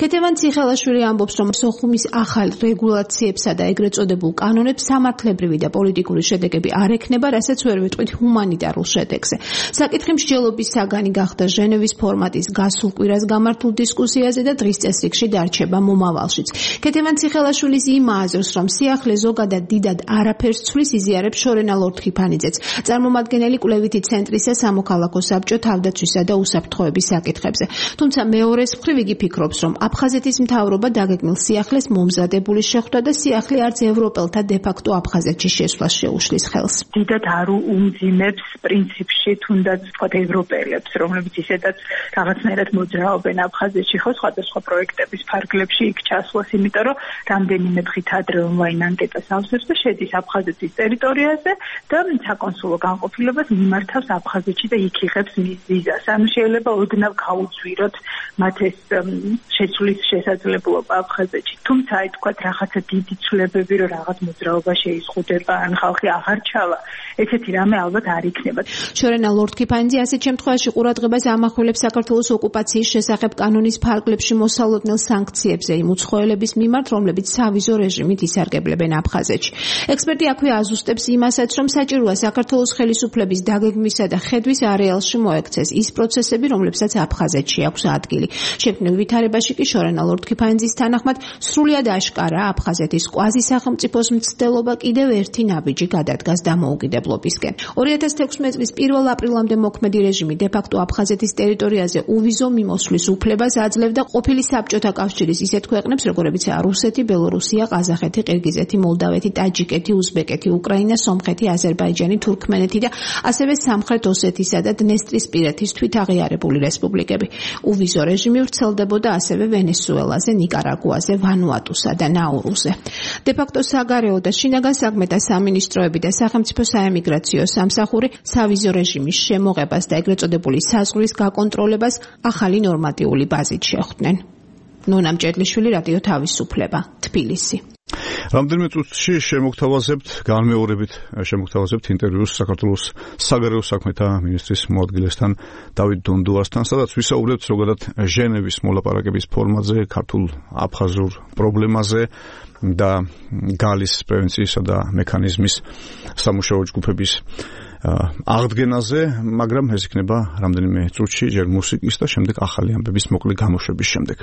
Speaker 6: ქეთევან ციხელაშვილი ამბობს, რომ სოხუმის ახალ რეგულაციებსა და ეგრეთ წოდებულ კანონებს სამართლებრივი და პოლიტიკური შედეგები არ ექნება, რასაც ვერ ვიტყვით ჰუმანიტარულ შედეგზე. საკითხი მსჯელობის საგანი გახდა ჟენევის ფორმატის გასულ კვირას გამართულ დისკუსიაზე და დღის წესრიგში დარჩება მომავალშიც. ქეთევან ციხელაშვილის იმ აზრს, რომ სიახლე ზოგადად დიდად არაფერს ცვლის, იზიარებს შორენა ლორთქიფანიძეც. წარმომადგენელი კვლევითი ცენტრისა სამოქალაქო საბჭო თავდაცვისა და უსაფრთხოების საკითხებზე. თუმცა მეორეს მხრივ იგი ფიქრობს, რომ აფხაზეთის მთავრობა დაგეგმილ სიახლეს მომზადებული შეხვდა და სიახლე არც ევროპელთა დე-ფაქტო აფხაზეთში შესვლას შეუშლის ხელს.
Speaker 21: დიდად არ უმძიმებს პრინციპში თუნდაც ვთქვათ ევროპელებს, რომლებიც ისედაც რაღაცნაირად მოძრაობენ აფხაზეთში, ხო სხვადასხვა პროექტების ფარგლებში იქ ჩასვლას, იმიტომ რომ რამდენიმე დღით ადრე ონლაინ ანკეტას ავსებს და შედის აფხაზეთის ტერიტორიაზე და საკონსულო განყოფილებას მიმართავს აფხაზეთში და იქ იღებს ვიზას. ანუ შეიძლება ოდნავ გაუძვიროთ მათ ეს შეცვლის შესაძლებლობა აფხაზეთში. თუმცა აი თქვათ რაღაცა დიდი ცვლილებები, რომ რაღაც მოძრაობა შეიზღუდება, ან ხალხი აღარ ჩავა, ესეთი რამე ალბათ არ იქნება.
Speaker 6: შორენა ლორთქიფანიძე ასეთ შემთხვევაში ყურადღებას ამახვილებს საქართველოს ოკუპაციის შესახებ კანონის ფარგლებში მოსალოდნელ სანქციებზე იმ უცხოელების მიმართ, რომლებიც სავიზო რეჟიმით ისარგებლებენ აფხაზეთში. ექსპერტი აქვე აზუსტებს იმასაც, რომ საჭიროა საქართველოს ხელისუფლების დაგეგმვისა და ხედვის არეალში მოექცეს ის პროცესები, რომლებსაც აფხაზეთში აქვს ადგილი. შექმნილ ვითარებაში კი შორენა ლორთქიფანიძის თანახმად სრულად აშკარა აფხაზეთის კვაზისახელმწიფოს მცდელობა კიდევ ერთი ნაბიჯი გადადგას დამოუკიდებლობისკენ. ორი ათას თექვსმეტი წლის პირველ აპრილამდე მოქმედი რეჟიმი დე-ფაქტო აფხაზეთის ტერიტორიაზე უვიზო მიმოსვლის უფლებას აძლევდა ყოფილი საბჭოთა კავშირის ისეთ ქვეყნებს, როგორებიცაა რუსეთი, ბელორუსია, ყაზახეთი, ყირგიზეთი, მოლდავეთი, ტაჯიკეთი, უზბეკეთი, უკრაინა, სომხეთი, აზერბაიჯანი, თურქმენეთი და ასევე სამხრეთ ოსეთისა და დნესტრისპირეთის თვითაღიარებული რესპუბლიკები. უვიზო რეჟიმი ვრცელდებოდა ასევე ვენესუელაზე, ნიკარაგუაზე, ვანუატუსა და ნაურუზე. დე-ფაქტო საგარეო და შინაგან საქმეთა სამინისტროები და სახელმწიფო საემიგრაციო სამსახური სავიზო რეჟიმის შემოღებას და ეგრეთ წოდებული საზღვრის გაკონტროლებას ახალი ნორმატიული ბაზით შეხვდნენ. ნონა მჭედლიშვილი, რადიო თავისუფლება, თბილისი.
Speaker 2: რამდენიმე წუთში შემოგთავაზებთ, განმეორებით შემოგთავაზებთ ინტერვიუს საქართველოს საგარეო საქმეთა მინისტრის მოადგილესთან დავით დონდუასთან, სადაც ვისაუბრებთ ზოგადად ჟენევის მოლაპარაკების ფორმაზე, ქართულ აფხაზურ პრობლემაზე და გალის პრევენციისა და მექანიზმის სამუშაო ჯგუფების აღდგენაზე, მაგრამ ეს იქნება რამდენიმე წუთში, ჯერ მუსიკის და შემდეგ ახალი ამბების მოკლე გამოშვების შემდეგ.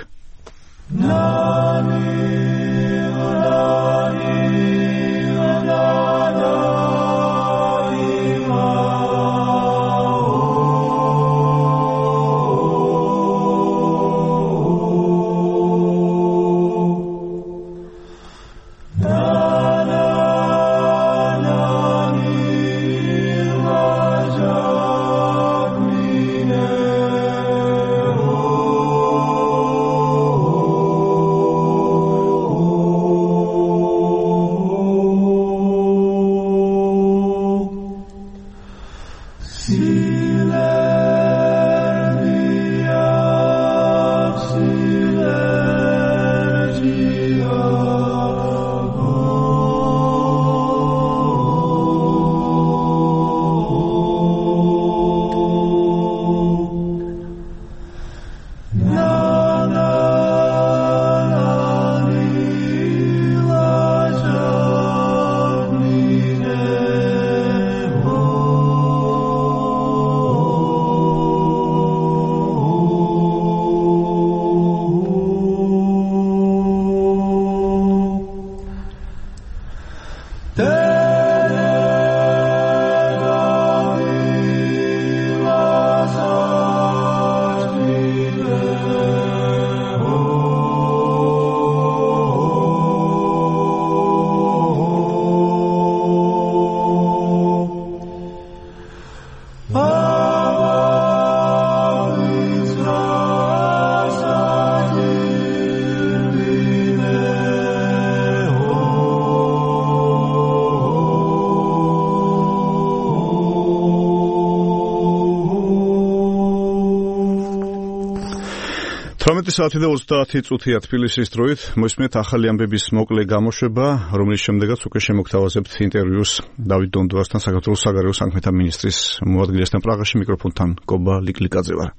Speaker 2: ოცდაათი საათი და ოცდაათი წუთია თბილისის დროით მოისმენთ ახალი ამბების მოკლე გამოშვება, რომლის შემდეგაც უკვე შემოგთავაზებთ ინტერვიუს დავით დონდუასთან, საქართველოს საგარეო საქმეთა მინისტრის მოადგილესთან პრაღაში. მიკროფონთან კობა ლიკლიკაძე ვარ.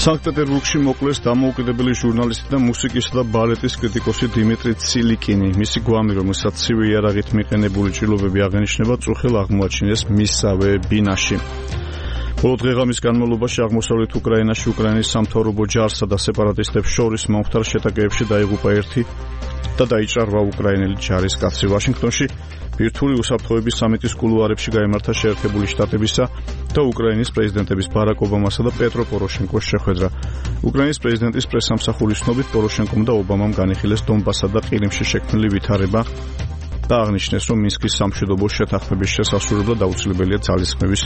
Speaker 2: სანქტ-პეტერბურგში მოკლეს დამოუკიდებელი ჟურნალისტი და მუსიკისა და ბალეტის კრიტიკოსი დიმიტრი ცილიკინი. მისი გვამი, რომელსაც ცივი იარაღით მიყენებული ჭრილობები აღენიშნება, წუხელ აღმოაჩინეს მისსავე ბინაში. ბოლო დღეღამის განმავლობაში აღმოსავლეთ უკრაინაში უკრაინის სამთავრობო ჯარსა და სეპარატისტებს შორის მომხდარ შეტაკებებში დაიღუპა ერთი და დაიჭრა უკრაინელი ჯარისკაცი. ვაშინგტონში ბირთვული უსაფრთხოების სამიტის კულუარებში გაიმართა შეერთებული შტატებისა და უკრაინის პრეზიდენტების ბარაკ ობამასა და პეტრო პოროშენკოს შეხვედრა. უკრაინის პრეზიდენტის პრესსამსახურის ცნობით პოროშენკომ და ობამამ განიხილეს დონბასსა და ყირიმში შექმნილი ვითარება და აღნიშნეს, რომ მინსკის სამშვიდობო შეთანხმების შესასრულებლად აუცილებელია ძალისხმევის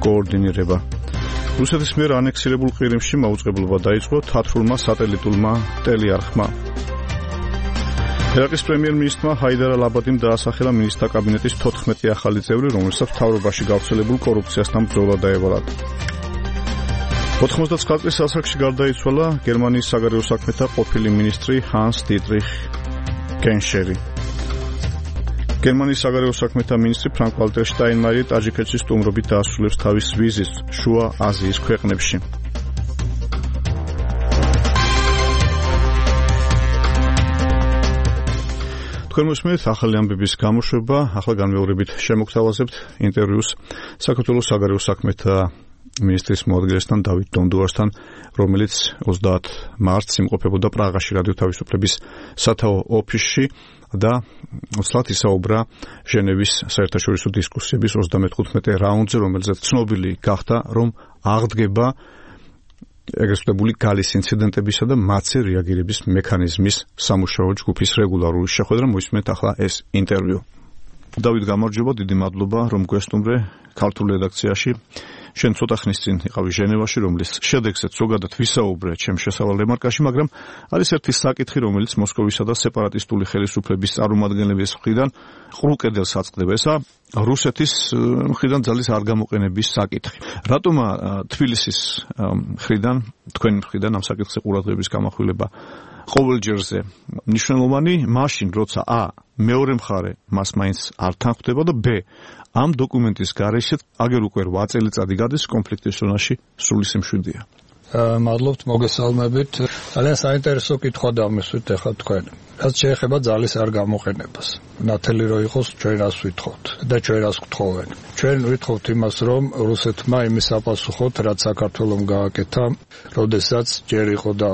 Speaker 2: კოორდინირება. რუსეთის მიერ ანექსირებულ ყირიმში მაუწყებლობა დაიწყო თათრულმა სატელიტურმა ტელეარხმა. ერაყის პრემიერ-მინისტრმა ჰაიდარ ალ-აბადიმ დაასახელა მინისტრთა კაბინეტის თოთხმეტი ახალი წევრი, რომელსაც მთავრობაში გავრცელებულ კორუფციასთან ბრძოლა დაევალა. ოთხმოცდაცხრა წლის ასაკში გარდაიცვალა გერმანიის საგარეო საქმეთა ყოფილი მინისტრი ჰანს დიტრიხ გენშერი. გერმანიის საგარეო საქმეთა მინისტრი ფრანკ ვალტერ შტაინმაიერი ტაჯიკეთში სტუმრობით დაასრულებს თავის ვიზიტს შუა აზიის ქვეყნებში. თქვენ მოსმენთ ახალი ამბების გამოშვება, ახლა განმეორებით შემოგთავაზებთ ინტერვიუს საქართველოს საგარეო საქმეთა მინისტრის მოადგილესთან დავით დონდუასთან, რომელიც ოცდაათი მარტს იმყოფებოდა პრაღაში რადიო თავისუფლების სათაო ოფისში და ოცდაათ ისაუბრა ჟენევის საერთაშორისო დისკუსიების ოცდამეთხუთმეტე რაუნდზე, რომელზეც ცნობილი გახდა, რომ აღდგება ეგრეთ წოდებული გალის ინციდენტებისა და მათზე რეაგირების მექანიზმის სამუშაო ჯგუფის რეგულარული შეხვედრა. მოისმენთ ახლა ეს ინტერვიუ. დავით, გამარჯობა, დიდი მადლობა, რომ გვესტუმრე ქართულ რედაქციაში. შენ ცოტა ხნის წინ იყავი ჟენევაში, რომლის შედეგზეც ზოგადად ვისაუბრე ჩემ შესავალ რემარკაში, მაგრამ არის ერთი საკითხი, რომელიც მოსკოვისა და სეპარატისტული ხელისუფლების წარმომადგენლების მხრიდან ყრუ კედელს აწყდება. ესა რუსეთის მხრიდან ძალის არ გამოყენების საკითხი. რატომა თბილისის მხრიდან, თქვენი მხრიდან ამ საკითხზე ყურადღების გამახვილება ყოველჯერზე მნიშვნელოვანი, მაშინ როცა ა მეორე მხარე მას მაინც არ თანხმდება და ბ ამ დოკუმენტის გარეშე აგერ უკვე რვა წელიწადი გადის კონფლიქტის ზონაში სრული სიმშვიდეა.
Speaker 3: მადლობთ მოგესალმებით. ძალიან საინტერესო კითხვა დამისვით ახლა თქვენ. რაც შეეხება ძალის არ გამოყენებას. ნათელი რო იყოს ჩვენ რას ვითხოვთ და ჩვენ რას გთხოვენ. ჩვენ ვითხოვთ იმას, რომ რუსეთმა იმის აპასუხოთ, რაც საქართველომ გააკეთა, როდესაც ჯერ იყო და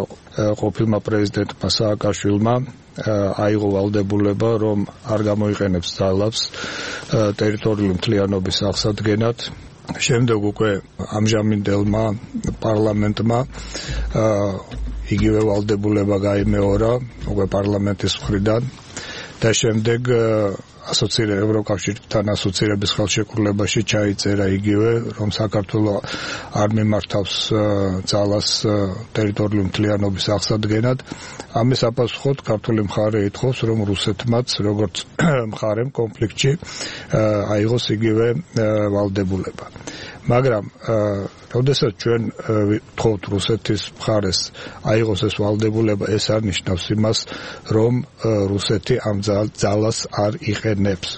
Speaker 3: ყოფილმა პრეზიდენტმა სააკაშვილმა აიღო ვალდებულება, რომ არ გამოიყენებს ძალებს ტერიტორიული მთლიანობის აღსადგენად. შემდეგ უკვე ამჟამინდელმა პარლამენტმა იგივე ვალდებულება გაიმეორა უკვე პარლამენტის მხრიდან და შემდეგ ასოცირე ევროკავშირთან ასოცირების ხელშეკრულებაში ჩაიწერა იგივე, რომ საქართველოს არ მიმართავს ძალას ტერიტორიული მთლიანობის აღსადგენად. ამის აპასუხოდ ქართული მხარე ითხოვს, რომ რუსეთმაც როგორც მხარემ კონფლიქტში აიღოს იგივე ვალდებულება. მაგრამ როდესაც ჩვენ ვთხოვთ რუსეთის მხარეს აიღოს ეს ვალდებულება, ეს არ ნიშნავს იმას, რომ რუსეთი ამ ძალას არ იყენებს.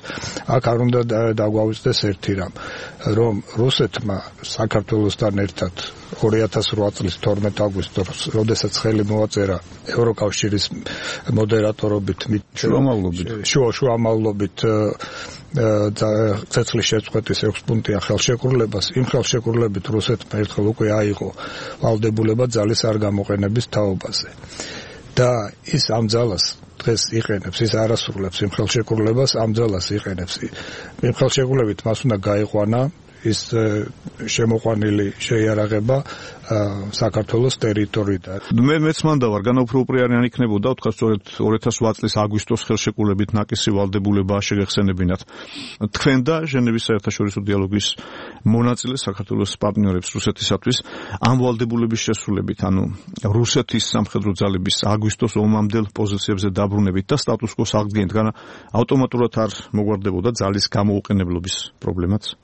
Speaker 3: აქ არ უნდა დაგვავიწყდეს ერთი რამ, რომ რუსეთმა საქართველოსთან ერთად ორი ათას რვა წლის თორმეტ აგვისტოს, როდესაც ხელი მოაწერა ევროკავშირის მოდერატორობით
Speaker 2: შუამავლობით
Speaker 3: შუა შუამავლობით ცეცხლის შეწყვეტის ექვს პუნქტიან ხელშეკრულებას, იმ ხელშეკრულებით რუსეთმა ერთხელ უკვე აიღო ვალდებულება ძალის არ გამოყენების თაობაზე. და ის ამ ძალას დღეს იყენებს, ის არასრულებს იმ ხელშეკრულებას, ამ ძალას იყენებს. იმ ხელშეკრულებით მას უნდა გაიყვანა ის შემოყვანილი შეიარაღება საქართველოს ტერიტორიიდან.
Speaker 2: მე მეც მანდა ვარ, განაუფროპრიანი არ იქნებოდა, ვთქვა სწორედ ორი ათას რვა წლის აგვისტოს ხელშეკრულებით ნაკისი ვალდებულება შეგეხსენებინათ. თქვენ და ჟენევის საერთაშორისო დიალოგის მონაწილე საქართველოს პარტნიორებს რუსეთისათვის ამ ვალდებულების შესრულებით, ანუ რუსეთის სამხედრო ძალების აგვისტოს ომამდელ პოზიციებზე დაბრუნებით და სტატუს კოს აღდგენით, განა ავტომატურად არ მოგვარდებოდა ძალის გამოუყენებლობის პრობლემაც?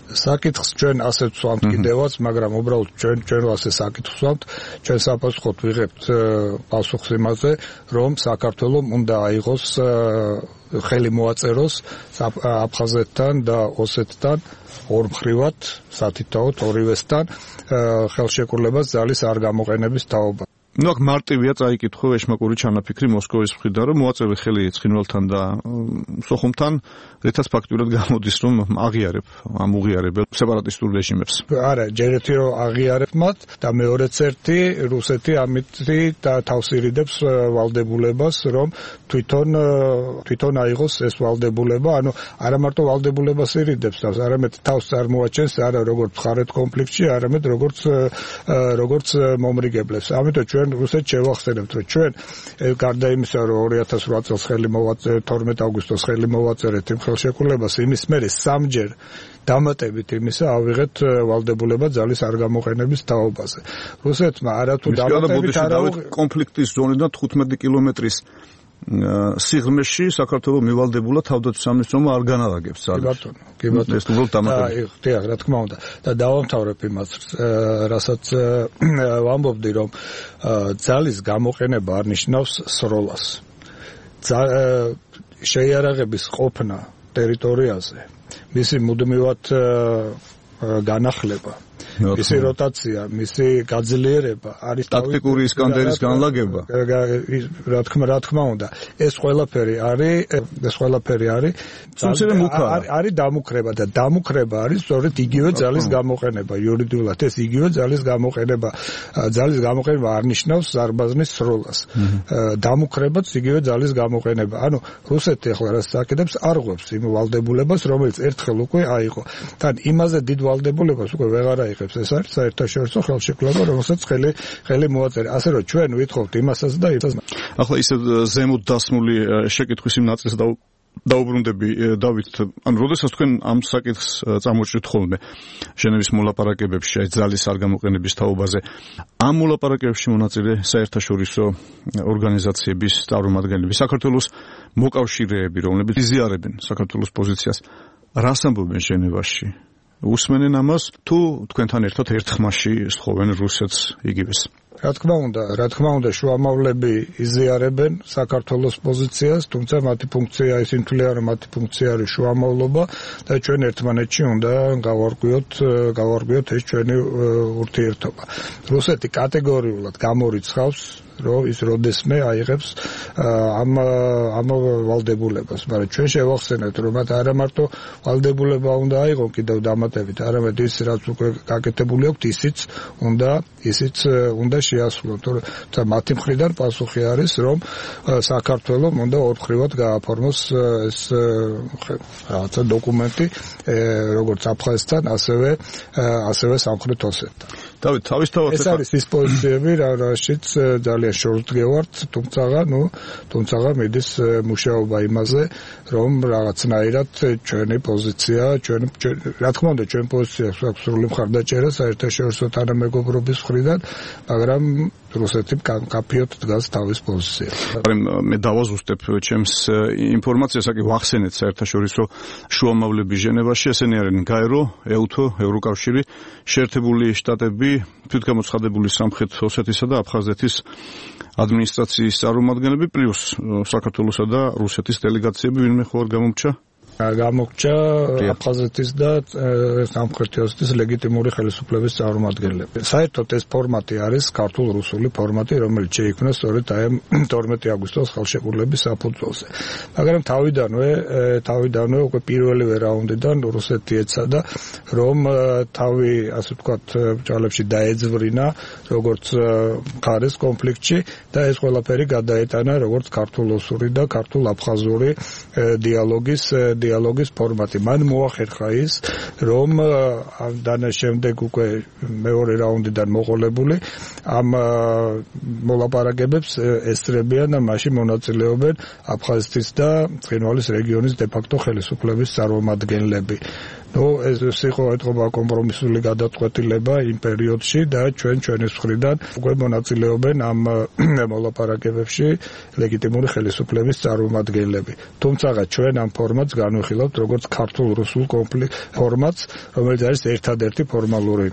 Speaker 3: საკითხს ჩვენ ასე ვსვამთ კიდევაც, მაგრამ უბრალოდ ჩვენ ჩვენ ასე საკითხს ვსვამთ, ჩვენ საფასუხოდ ვიღებთ პასუხს იმაზე, რომ საქართველოს უნდა აიღოს ხელი მოაწეროს აფხაზეთთან და ოსეთთან ორმხრივად, სათითაოდ ორივესთან ხელშეკრულებას ძალის არ გამოყენების თაობა.
Speaker 2: ნუ აქ მარტივია წაიკითხო ეშმაკური ჩანაფიქრი მოსკოვის მხრიდან, რომ მოაწევი ხელი ცხინვალთან და სოხუმთან, რითაც ფაქტურად გამოდის, რომ აღიარებ ამ უღიარებელ სეპარატისტულ რეჟიმებს.
Speaker 3: არა, ჯერ ერთი რომ აღიარებ მათ და მეორეც ერთი რუსეთი ამით და თავს ირიდებს ვალდებულებას, რომ თვითონ თვითონ აიღოს ეს ვალდებულება, ანუ არა მარტო ვალდებულებას ირიდებს თავს, არამედ თავს წარმოაჩენს არა როგორც მხარეთ კონფლიქტში, არამედ როგორც როგორც მომრიგებლებს. ამიტომ ჩვენ რუსეთს შევახსენებთ, რომ ჩვენ გარდა იმისა, რომ ორი ათას ოთხ წელს ხელი მოვაწერეთ, თორმეტი აგვისტოს ხელი მოვაწერეთ იმ ხელშეკრულებას, იმის მერე სამჯერ დამატებით იმისა ავიღეთ ვალდებულება ძალის არ გამოყენების თაობაზე. რუსეთმა არათუ დამატებით არა
Speaker 2: კონფლიქტის ზონიდან თხუთმეტი კილომეტრის სიღრმეში საქართველოს მივალდებულა თავდაცვის სამინისტრომ არ განარაგებს ძალებს.
Speaker 3: კი ბატონო, კი ბატონო.
Speaker 2: ეს უბრალოდ დამატებით.
Speaker 3: დიახ, რა თქმა უნდა. და დავამთავრებ იმას, რასაც ვამბობდი, რომ ძალის გამოყენება არ ნიშნავს სროლას. შეიარაღების ყოფნა ტერიტორიაზე, მისი მუდმივად განახლება, მისი როტაცია, მისი გაძლიერება არის
Speaker 2: ტაქტიკური ისკანდერის განლაგება.
Speaker 3: რა თქმა რა თქმა უნდა, ეს ყველაფერი არის, ეს ყველაფერი არის არის დამუქრება და დამუქრება არის სწორედ იგივე ძალის გამოყენება. იურიდიულად ეს იგივე ძალის გამოყენება, ძალის გამოყენება არ ნიშნავს ზარბაზნის სროლას. დამუქრებაც იგივე ძალის გამოყენება. ანუ რუსეთი ახლა რაც საკეთებს, არ ღვევს იმ ვალდებულებას, რომელიც ერთხელ უკვე აიღო. თან იმაზე დიდ ვალდებულებას უკვე ვეღარ აიღებს. ეს არის საერთაშორისო ხელშეკრულება, რომელსაც ხელი ხელი მოაწერა. ასე რომ ჩვენ ვითხოვთ იმასაც და იმასაც.
Speaker 2: ახლა ისე ზემოთ დასმული შეკითხვის იმ ნაწილს და დაუბრუნდები დავით, ანუ როდესაც თქვენ ამ საკითხს წამოჭრით ხოლმე ჟენევის მოლაპარაკებებში აი ძალის არ გამოყენების თაობაზე, ამ მოლაპარაკებებში მონაწილე საერთაშორისო ორგანიზაციების წარმომადგენლები, საქართველოს მოკავშირეები, რომლებიც იზიარებენ საქართველოს პოზიციას, რას ამბობენ ჟენევაში? უსმენენ ამას თუ თქვენთან ერთად ერთ ხმაში სთხოვენ რუსეთს იგივეს?
Speaker 3: რა თქმა უნდა, რა თქმა უნდა, შუამავლები იზიარებენ საქართველოს პოზიციას, თუმცა მათი ფუნქცია ისინი თვლიან, რომ მათი ფუნქცია არის შუამავლობა და ჩვენ ერთმანეთში უნდა გავარკვიოთ, გავარკვიოთ ეს ჩვენი ურთიერთობა. რუსეთი კატეგორიულად გამორიცხავს რომ ის როდესმე აიღებს ამ ამ ვალდებულებას, მაგრამ ჩვენ შევახსენებთ, რომ მათ არა მარტო ვალდებულება უნდა აიღონ კიდევ დამატებით, არამედ ის რაც უკვე გაკეთებული აქვს, ისიც უნდა ისიც უნდა შეასრულონ. თუმცა მათი მხრიდან პასუხი არის, რომ საქართველოს უნდა ორმხრივად გააფორმოს ეს რაღაცა დოკუმენტი, როგორც აფხაზეთთან, ასევე ასევე სამხრეთ ოსეთთან.
Speaker 2: დავით, თავისთავად
Speaker 3: ეს არის ის პოზიციები, რაშიც ძალიან შორსდგევართ, თუმცა, ნუ, თუმცა მიდის მუშაობა იმაზე, რომ რაღაცნაირად ჩვენი პოზიცია, ჩვენ რა თქმა უნდა, ჩვენ პოზიცია აქვს სრული მხარდაჭერა საერთაშორისო თანამეგობრობის მხრიდან, მაგრამ რუსეთი კაფიოდ დგას თავის პოზიციაზე.
Speaker 2: მე დავაზუსტებ ჩემს ინფორმაციას, აკი ვახსენეთ საერთაშორისო შუამავლები ჟენევაში, ესენი არიან გაერო, ეუთო, ევროკავშირი, შეერთებული შტატები, თვითგამოცხადებული სამხრეთ ოსეთისა და აფხაზეთის ადმინისტრაციის წარმომადგენლები, პლუს საქართველოსა და რუსეთის დელეგაციები, ვინმე ხო არ გამომრჩა?
Speaker 3: გამოგჭა აფხაზეთის და სამხრეთ ოსეთის ლეგიტიმური ხელისუფლების წარმომადგენლები. საერთოდ ეს ფორმატი არის ქართულ-რუსული ფორმატი, რომელიც შეიქმნა სწორედ აი თორმეტი აგვისტოს ხელშეკრულების საფუძველზე. მაგრამ თავიდანვე თავიდანვე უკვე პირველივე რაუნდიდან რუსეთი ეცადა, რომ თავი, ასე ვთქვათ, ბრძოლებში დაეძვრინა როგორც მხარეს კონფლიქტში და ეს ყველაფერი გადაეტანა როგორც ქართულ-რუსული და ქართულ-აფხაზური დიალოგის დიალოგის ფორმატი. მან მოახერხა ის, რომ დანა შემდეგ უკვე მეორე რაუნდიდან მოყოლებული ამ მოლაპარაკებებს ესწრებიან და მასში მონაწილეობენ აფხაზეთის და ცხინვალის რეგიონის დე-ფაქტო ხელისუფლების წარმომადგენლები. ნუ ეს იყო ეთყობა კომპრომისული გადაწყვეტილება იმ პერიოდში და ჩვენ ჩვენის მხრიდან უკვე მონაწილეობენ ამ მოლაპარაკებებში ლეგიტიმური ხელისუფლების წარმომადგენლები. თუმცა ჩვენ ამ ფორმატს განვიხილავთ როგორც ქართულ-რუსულ კონფლიქტ ფორმატს, რომელიც არის ერთადერთი ფორმალური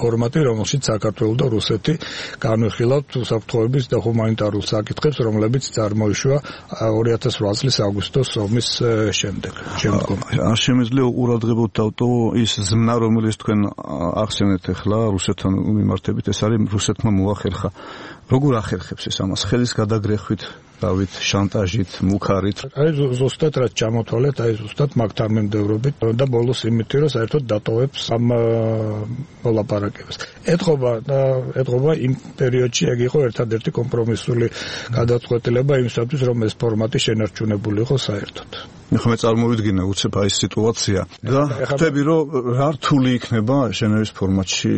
Speaker 3: ფორმატი, რომელშიც საქართველო და რუსეთი განვიხილავთ უსაფრთხოების და ჰუმანიტარულ საკითხებს, რომლებიც წარმოიშვა ორი ათას ოთხ წლის აგვისტოს ომის შემდეგ.
Speaker 2: არ შემეძლო ყურადღებოთ დავტო ის ზმნა, რომელიც თქვენ ახსენეთ ახლა რუსეთთან მიმართებით, ეს არის რუსეთმა მოახერხა. როგორ ახერხებს ეს ამას? ხელის გადაგრეხვით, დავით, შანტაჟით, მუქარით?
Speaker 3: აი ზუსტად რაც ჩამოთვალეთ, აი ზუსტად მაგთარმემდევრობით და ბოლოს იმით, რომ საერთოდ დატოვებს ამ მოლაპარაკებას. ეთყობა და ეთყობა იმ პერიოდში ეგ იყო ერთადერთი კომპრომისული გადაწყვეტილება იმისათვის, რომ ეს ფორმატი შენარჩუნებული იყო საერთოდ.
Speaker 2: მე წარმოვიდგინე უცებ აი ეს სიტუაცია და ხვდები რომ რა რთული იქნება ჟენევის ფორმატში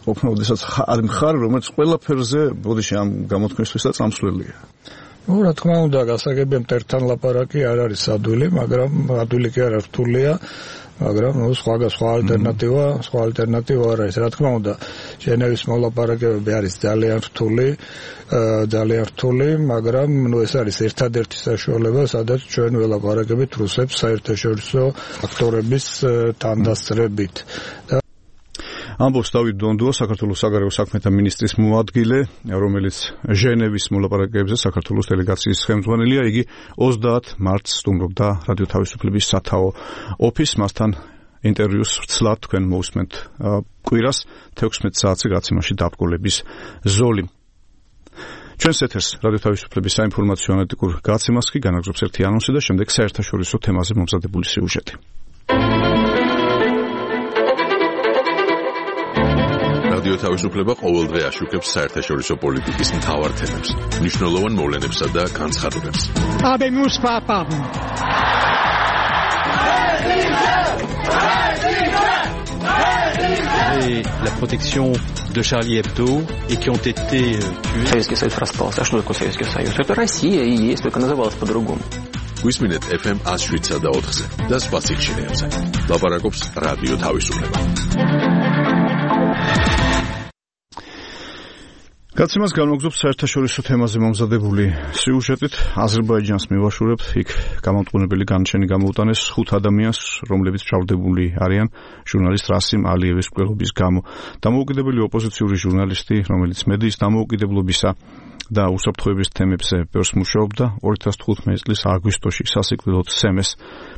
Speaker 2: ყოფნა, ოდესაც არის მხარე, რომელიც ყველაფერზე ბოდიში ამ გამოთქმისთვისაც წამსვლელია.
Speaker 3: ნუ რა თქმა უნდა, გასაგებია მტერთან ლაპარაკი არ არის ადვილი, მაგრამ ადვილი კი არა, რთულია, მაგრამ ნუ სხვა სხვა ალტერნატივა, სხვა ალტერნატივა არ არის. რა თქმა უნდა, ჟენევის მოლაპარაკებები არის ძალიან რთული, ძალიან რთული, მაგრამ ნუ ეს არის ერთადერთი საშუალება, სადაც ჩვენ ველაპარაკებით რუსებს საერთაშორისო ფაქტორების თანდასწრებით.
Speaker 2: ამბობს დავით დონდუა, საქართველოს საგარეო საქმეთა მინისტრის მოადგილე, რომელიც ჟენევის მოლაპარაკებებზე საქართველოს დელეგაციის ხელმძღვანელია. იგი ოცდაათ მარტს სტუმრობდა რადიო თავისუფლების სათაო ოფისს. მასთან ინტერვიუს ვცლად თქვენ მოусმენთ კვირას თექვსმეტ საათზე გაცემაში დაბრკოლების ზოლი. ჩვენს ეთერს რადიო თავისუფლების საინფორმაციო ანალიტიკურ გაცემას კი განაგრძობს ერთი ანონსი და შემდეგ საერთაშორისო თემაზე მომზადებული სიუჟეტი.
Speaker 1: რადიო თავისუფლება ყოველდღე აშუქებს საერთაშორისო პოლიტიკის მთავარ თემებს, მნიშვნელოვან მოვლენებსა და განცხადებებს.
Speaker 8: Et la protection de Charlie Hebdo et qui ont été tués.
Speaker 22: Советский Союз распался. А что такое Советский Союз? Это Россия и есть, только называлась по-другому.
Speaker 1: Გვისმინეთ эф эм one oh seven და ოთხზე და სხვა სიხშირეებზე. ლაპარაკობს რადიო თავისუფლება.
Speaker 2: გაცემას განვაგრძობთ საერთაშორისო თემაზე მომზადებული სიუჟეტით. აზერბაიჯანს მივაშურებთ, იქ გამომტყუნებელი განაჩენი გამოუტანეს ხუთ ადამიანს, რომლებიც მჟავდებული არიან ჟურნალისტ რასიმ ალიევის მკვლელობის გამო. დამოუკიდებელი ოპოზიციური ჟურნალისტი, რომელიც მედიის დამოუკიდებლობისა და უსაფრთხოების თემებზე ბევრს მუშაობდა, ორი ათას თხუთმეტი წლის აგვისტოში სასიკვდილოდ სემეს.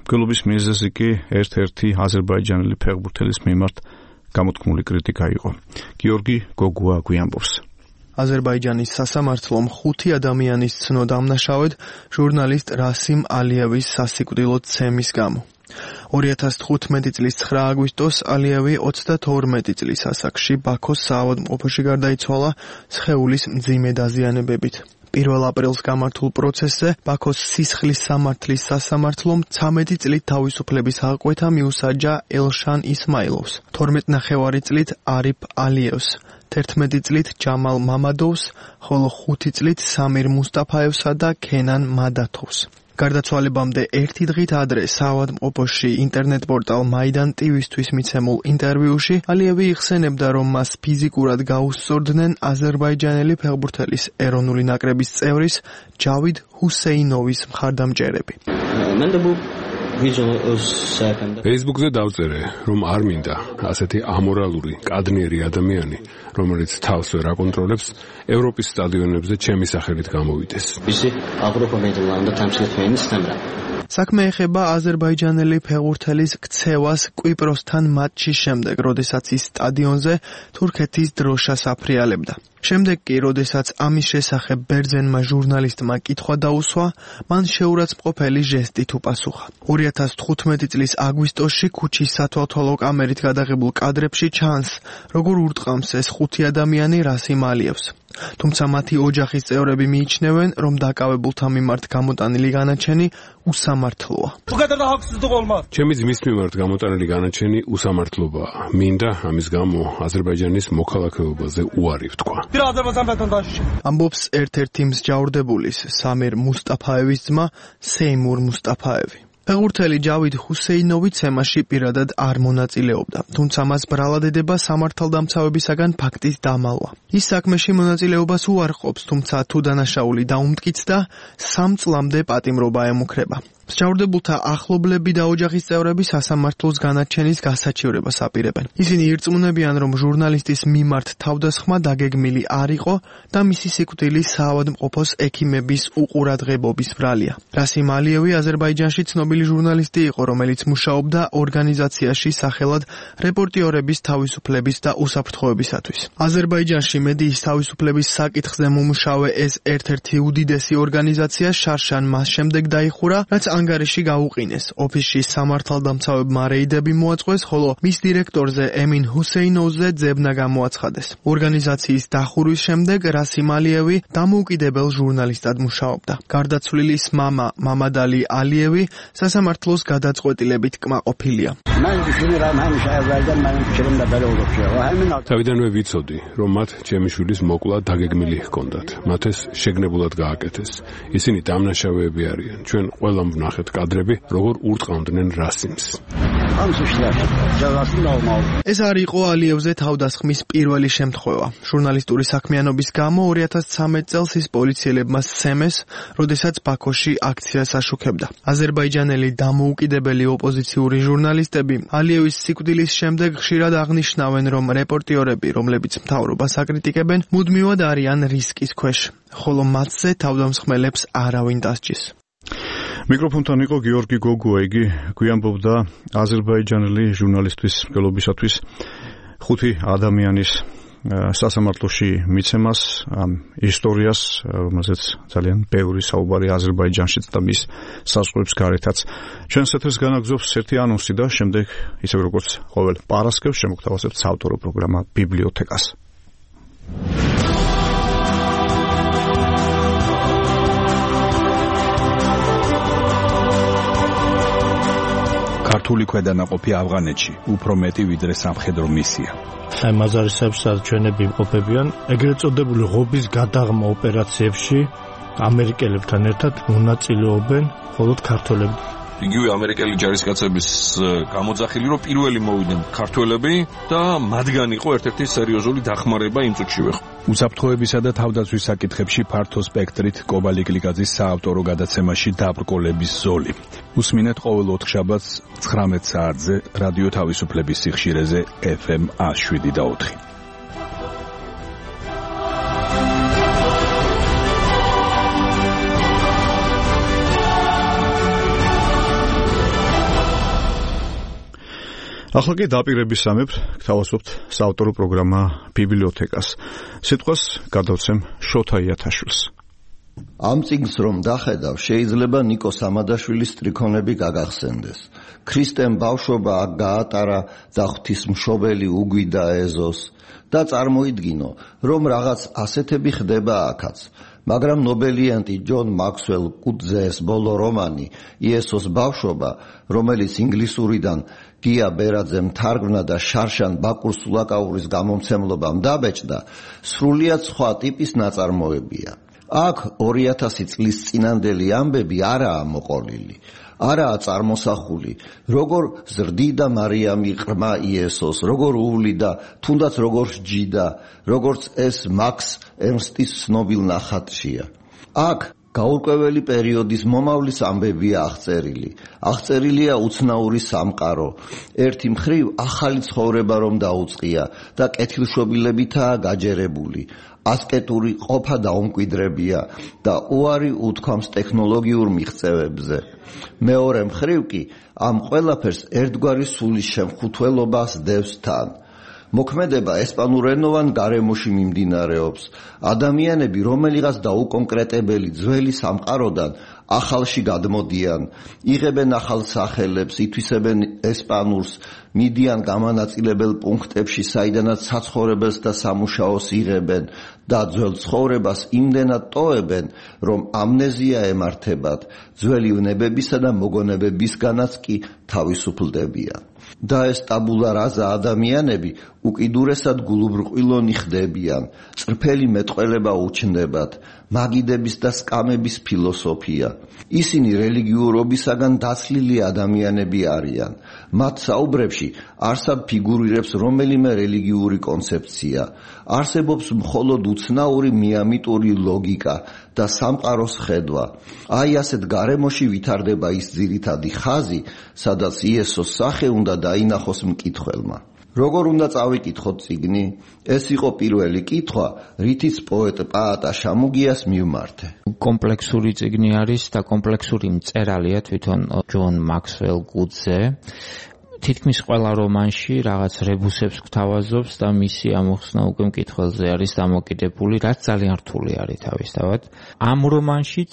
Speaker 2: მკვლელობის მიზეზი კი ერთ-ერთი აზერბაიჯანელი ფეხბურთელის მიმართ გამოთქმული კრიტიკა იყო. გიორგი გოგუა გვიამბობს.
Speaker 23: აზერბაიჯანის სასამართლომ ხუთი ადამიანის ცნო დამნაშავედ ჟურნალისტ რასიმ ალიევის სასიკვდილოდ ცემის გამო. ორი ათას თხუთმეტი წლის ცხრა აგვისტოს ალიევი ოცდათორმეტი წლის ასაკში ბაქოს საავადმყოფოში გარდაიცვალა სხეულის მძიმე დაზიანებებით. პირველ აპრილს გამართულ პროცესზე ბაქოს სისხლის სამართლის სასამართლომ ცამეტი წლით თავისუფლების აღკვეთა მიუსაჯა ელშან ისმაილოვს, თორმეტი ნახევარი წლით არიფ ალიევს, თერთმეტი წლით ჯამალ მამადოვს, ხოლო ხუთი წლით სამირ მუსტაფაევსა და ქენან მადათოვს. გარდაცვალებამდე ერთი დღით ადრე საავადმყოფოში ინტერნეტ პორტალ მაიდან ტივისთვის მიცემულ ინტერვიუში ალიევი იხსენებდა, რომ მას ფიზიკურად გაუსწორდნენ აზერბაიჯანელი ფეხბურთელის ეროვნული ნაკრების წევრის ჯავიდ ჰუსეინოვის მხარდამჭერები.
Speaker 24: Facebook-ზე დავწერე, რომ არ მინდა ასეთი ამორალური, კადნიერი ადამიანი, რომელიც თავს ვერ აკონტროლებს, ევროპის სტადიონებზე ჩემი სახელით გამოვიდეს.
Speaker 23: საქმე ეხება აზერბაიჯანელი ფეხბურთელის ქცევას კვიპროსთან მატჩის შემდეგ, როდესაც ის სტადიონზე თურქეთის დროშას აფრიალებდა. შემდეგ კი, როდესაც ამის შესახებ ბერძენმა ჟურნალისტმა კითხვა დაუსვა, მან შეურაცხმყოფელი ჟესტით უპასუხა. ორი ათას თხუთმეტი წლის აგვისტოში ქუჩის სათვალთვალო კამერით გადაღებულ კადრებში ჩანს, როგორ ურტყამს ეს ხუთი ადამიანი რასიმ ალიევს. თუმცა მათი ოჯახის წევრები მიიჩნევენ, რომ დაკავებულთა მიმართ გამოტანილი განაჩენი უსამართლოა.
Speaker 24: ჩემი ძმის მიმართ გამოტანილი განაჩენი უსამართლობაა. მინდა ამის გამო აზერბაიჯანის მოქალაქეობაზე უარი ვთქვა.
Speaker 23: ამბობს ერთ-ერთი მსჯავრდებულის, სამირ მუსტაფაევის ძმა სეიმურ მუსტაფაევი. ფეხბურთელი ჯავიდ ჰუსეინოვი ცემაში პირადად არ მონაწილეობდა, თუმცა მას ბრალადედება სამართალდამცავებისაგან ფაქტის დამალვა. ის საქმეში მონაწილეობას უარყოფს, თუმცა თუ დანაშაული დაუმტკიცდა, სამ წლამდე პატიმრობა ემუქრება. მსჯავრდებულთა ახლობლები და ოჯახის წევრები სასამართლოს განაჩენის გასაჩივრებას აპირებენ. ისინი ირწმუნებიან, რომ ჟურნალისტის მიმართ თავდასხმა დაგეგმილი არ იყო და მისი სიკვდილი საავადმყოფოს ექიმების უყურადღებობის ბრალია. რასიმ ალიევი აზერბაიჯანში ცნობილი ჟურნალისტი იყო, რომელიც მუშაობდა ორგანიზაციაში სახელად რეპორტიორების თავისუფლების და უსაფრთხოებისათვის. აზერბაიჯანში მედიის თავისუფლების საკითხზე მომუშავე ეს ერთ-ერთი უდიდესი ორგანიზაცია შარშან მას შემდეგ დაიხურა, რაც ანგარიში გაუყინეს. ოფისში სამართალდამცავებმა რეიდები მოაწყვეს, ხოლო მის დირექტორზე ემინ ჰუსეინოვზე ძებნა გამოაცხადეს. ორგანიზაციის დახურვის შემდეგ რასიმ ალიევი დამოუკიდებელ ჟურნალისტად მუშაობდა. გარდაცვლილის მამა მამადალი ალიევი სასამართლოს გადაწყვეტილებით კმაყოფილია.
Speaker 24: თავიდანვე ვიცოდი, რომ მათ ჩემი შვილის მოკლა დაგეგმილი ჰქონდათ. მათ ეს შეგნებულად გააკეთეს. ისინი დამნაშავეები არიან. ჩვენ ყველამ ვნახეთ კადრები, როგორ ურტყავდნენ რასიმს.
Speaker 23: ეს არ იყო ალიევზე თავდასხმის პირველი შემთხვევა. ჟურნალისტური საქმიანობის გამო ორი ათას ცხრამეტ წელს ის პოლიციელებმა სცემეს, როდესაც ბაქოში აქციას აშუქებდა. აზერბაიჯანელი დამოუკიდებელი ოპოზიციური ჟურნალისტები ალიევის სიკვდილის შემდეგ ხშირად აღნიშნავენ, რომ რეპორტიორები, რომლებიც მთავრობას აკრიტიკებენ, მუდმივად არიან რისკის ქვეშ, ხოლო მათზე თავდამსხმელებს არავინ დასჯის.
Speaker 2: მიკროფონთან იყო გიორგი გოგუა, იგი გვიამბობდა აზერბაიჯანელი ჟურნალისტის მკვლობისათვის ხუთი ადამიანის სასამართლოში მიცემას, ამ ისტორიას, რომელზეც ძალიან ბევრი საუბარი აზერბაიჯანშიც და მის საზღვრებს გარეთაც. ჩვენს ეთერს განაგზობს ერთი ანონსი და შემდეგ, ისე როგორც ყოველ პარასკევს, შემოგთავაზებთ საავტორო პროგრამა ბიბლიოთეკას.
Speaker 3: ქართული ქვედანაყოფი ავღანეთში უფრო მეტი ვიდრე სამხედრო მისია.
Speaker 11: აი მაზარისებს ჩვენები იმყოფებიან ეგრეთ წოდებული ღობის გადაღმა ოპერაციებში ამერიკელებთან ერთად მონაწილეობენ მხოლოდ ქართველები.
Speaker 4: იგივე ამერიკელი ჯარისკაცების გამოძახილი, რომ პირველი მოვიდნენ ქართველები და მათგან იყო ერთ-ერთი სერიოზული დახმარება იმ წუთში ვეხ.
Speaker 3: უსაფრთხოებისა და თავდაცვის საკითხებში ფართო სპექტრით კობალი გლიკაძის საავტორო გადაცემაში დაბრკოლების ზოლი. უსმინეთ ყოველ ოთხშაბათს ცხრამეტ საათზე რადიო თავისუფლების სიხშირეზე ეფ ემ ათს შვიდი და ოთხი.
Speaker 2: ახლა კი დაპირების სამეფ გთავაზობთ საავტორო პროგრამა ბიბლიოთეკას. სიტყვას გადავცემ შოთა იათაშვილს.
Speaker 5: ამ წიგნს რომ დახედავ, შეიძლება ნიკო სამადაშვილის სტრიქონები გაგახსენდეს. ქრისტემ ბავშვობა აქ გაატარა და ღვთისმშობელი უგვიდა ეზოს და წარმოიდგინო, რომ რაღაც ასეთები ხდება აქაც. მაგრამ ნობელიანტი ჯონ მაქსველ კუტზეს ბოლო რომანი იესოს ბავშვობა, რომელიც ინგლისურიდან გია ბერაძემ თარგმნა და შარშან ბაკურ სულაკაურის გამომცემლობამ დაბეჭდა, სრულიად სხვა ტიპის ნაწარმოებია. აქ ორი ათასი წლის წინანდელი ამბები არაა მოყოლილი, არაა წარმოსახული, როგორ ზრდიდა მარიამი ყრმა იესოს, როგორ უვლიდა, თუნდაც როგორ სჯიდა, როგორც ეს მაქს ერნსტის ცნობილ ნახატშია. აქ გაურკვეველი პერიოდის მომავლის ამბებია აღწერილი. აღწერილია უცნაური სამყარო. ერთი მხრივ ახალი ცხოვრება რომ დაუწყია და კეთილშობილებითაა გაჯერებული. ასკეტური ყოფა დაუმკვიდრებია და უარი უთქვამს ტექნოლოგიურ მიღწევებზე. მეორე მხრივ კი ამ ყველაფერს ერთგვარი სულის შემხუთველობას დევს თან. მოქმედება ესპანურენოვან გარემოში მიმდინარეობს. ადამიანები რომელიღაც დაუკონკრეტებელი ძველი სამყაროდან ახალში გადმოდიან, იღებენ ახალ სახელებს, ითვისებენ ესპანურს, მიდიან გამანაწილებელ პუნქტებში, საიდანაც საცხოვრებელს და სამუშაოს იღებენ და ძველ ცხოვრებას იმდენად ტოვებენ, რომ ამნეზია ემართებათ, ძველი ვნებებისა და მოგონებებისგანაც კი თავისუფლდებიან. და ეს ტაბულა რაზა ადამიანები უკიდურესად გულუბრყვილონი ხდებიან, წრფელი მეტყველება უჩნდებათ, მაგიდების და სკამების ფილოსოფია. ისინი რელიგიურობისაგან დაცლილი ადამიანები არიან. მათ საუბრებში არსად ფიგურირებს რომელიმე რელიგიური კონცეფცია. არსებობს მხოლოდ უცნაური მიამიტური ლოგიკა და სამყაროს ხედვა. აი ასეთ გარემოში ვითარდება ის ძირითადი ხაზი, სადაც იესოს სახე უნდა დაინახოს მკითხველმა. როგორ უნდა წავიკითხოთ წიგნი? ეს იყო პირველი კითხვა, რითიც პოეტ პაატა შამუგიას მივმართე.
Speaker 7: კომპლექსური წიგნი არის და კომპლექსური მწერალია თვითონ ჯონ მაქსველ გუდზე. თითქმის ყველა რომანში რაღაც რებუსებს გვთავაზობს და მისი ამოხსნა უკვე მკითხველზე არის დამოკიდებული, რაც ძალიან რთული არის თავისთავად. ამ რომანშიც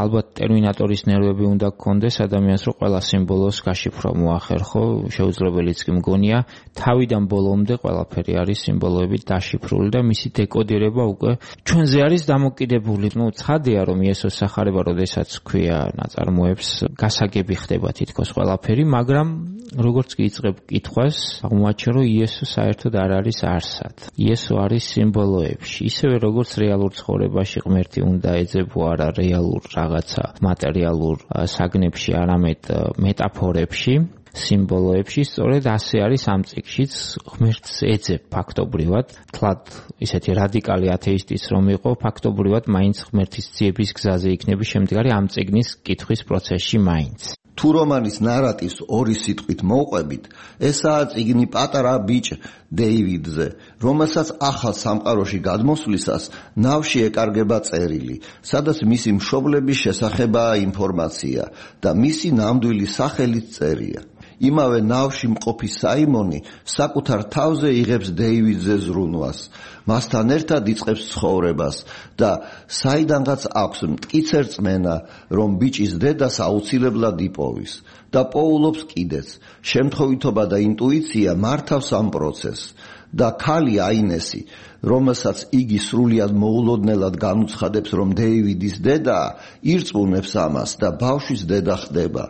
Speaker 7: ალბათ ტერმინატორის ნერვები უნდა გქონდეს ადამიანს, რომ ყველა სიმბოლოს გაშიფრვა მოახერხო, შეუძლებელიც კი მგონია. თავიდან ბოლომდე ყველაფერი არის სიმბოლოებით დაშიფრული და მისი დეკოდირება უკვე ჩვენზე არის დამოკიდებული. ნუ ცხადია, რომ იესოს სახარება, როდესაც ქვია ნაწარმოებს, გასაგები ხდება თითქოს ყველაფერი, მაგრამ როგორც კი იწყებ კითხვას, აღმოაჩენ, რომ იესო საერთოდ არ არის არსად. იესო არის სიმბოლოებში. ისევე როგორც რეალურ ცხოვრებაში ღმერთი უნდა ეძებო არა რეალურ რაღაცა მატერიალურ საგნებში, არამედ მეტაფორებში, სიმბოლოებში, სწორედ ასე არის ამ წიგნშიც ღმერთს ეძებ ფაქტობრივად. თლად ისეთი რადიკალი ათეისტიც რომ იყო, ფაქტობრივად მაინც ღმერთის ძიების გზაზე იქნები შემდგარი ამ წიგნის კითხვის პროცესში მაინც.
Speaker 5: თუ რომანის ნარატივს ორი სიტყვით მოვყვებით, ესაა წიგნი პატარა ბიჭ დეივიდზე, რომელსაც ახალ სამყაროში გადმოსვლისას ნავში ეკარგება წერილი, სადაც მისი მშობლების შესახებაა ინფორმაცია და მისი ნამდვილი სახელიც წერია. იმავე ნავში მყოფი საიმონი საკუთარ თავზე იღებს დეივიდზე ზრუნვას, მასთან ერთად იწყებს ცხოვრებას და საიდანღაც აქვს მტკიცე რწმენა, რომ ბიჭის დედას აუცილებლად იპოვის და პოულობს კიდეც. შემთხვევითობა და ინტუიცია მართავს ამ პროცესს და ქალი აინესი, რომელსაც იგი სრულიად მოულოდნელად განუცხადებს, რომ დეივიდის დედაა, ირწმუნებს ამას და ბავშვის დედა ხდება.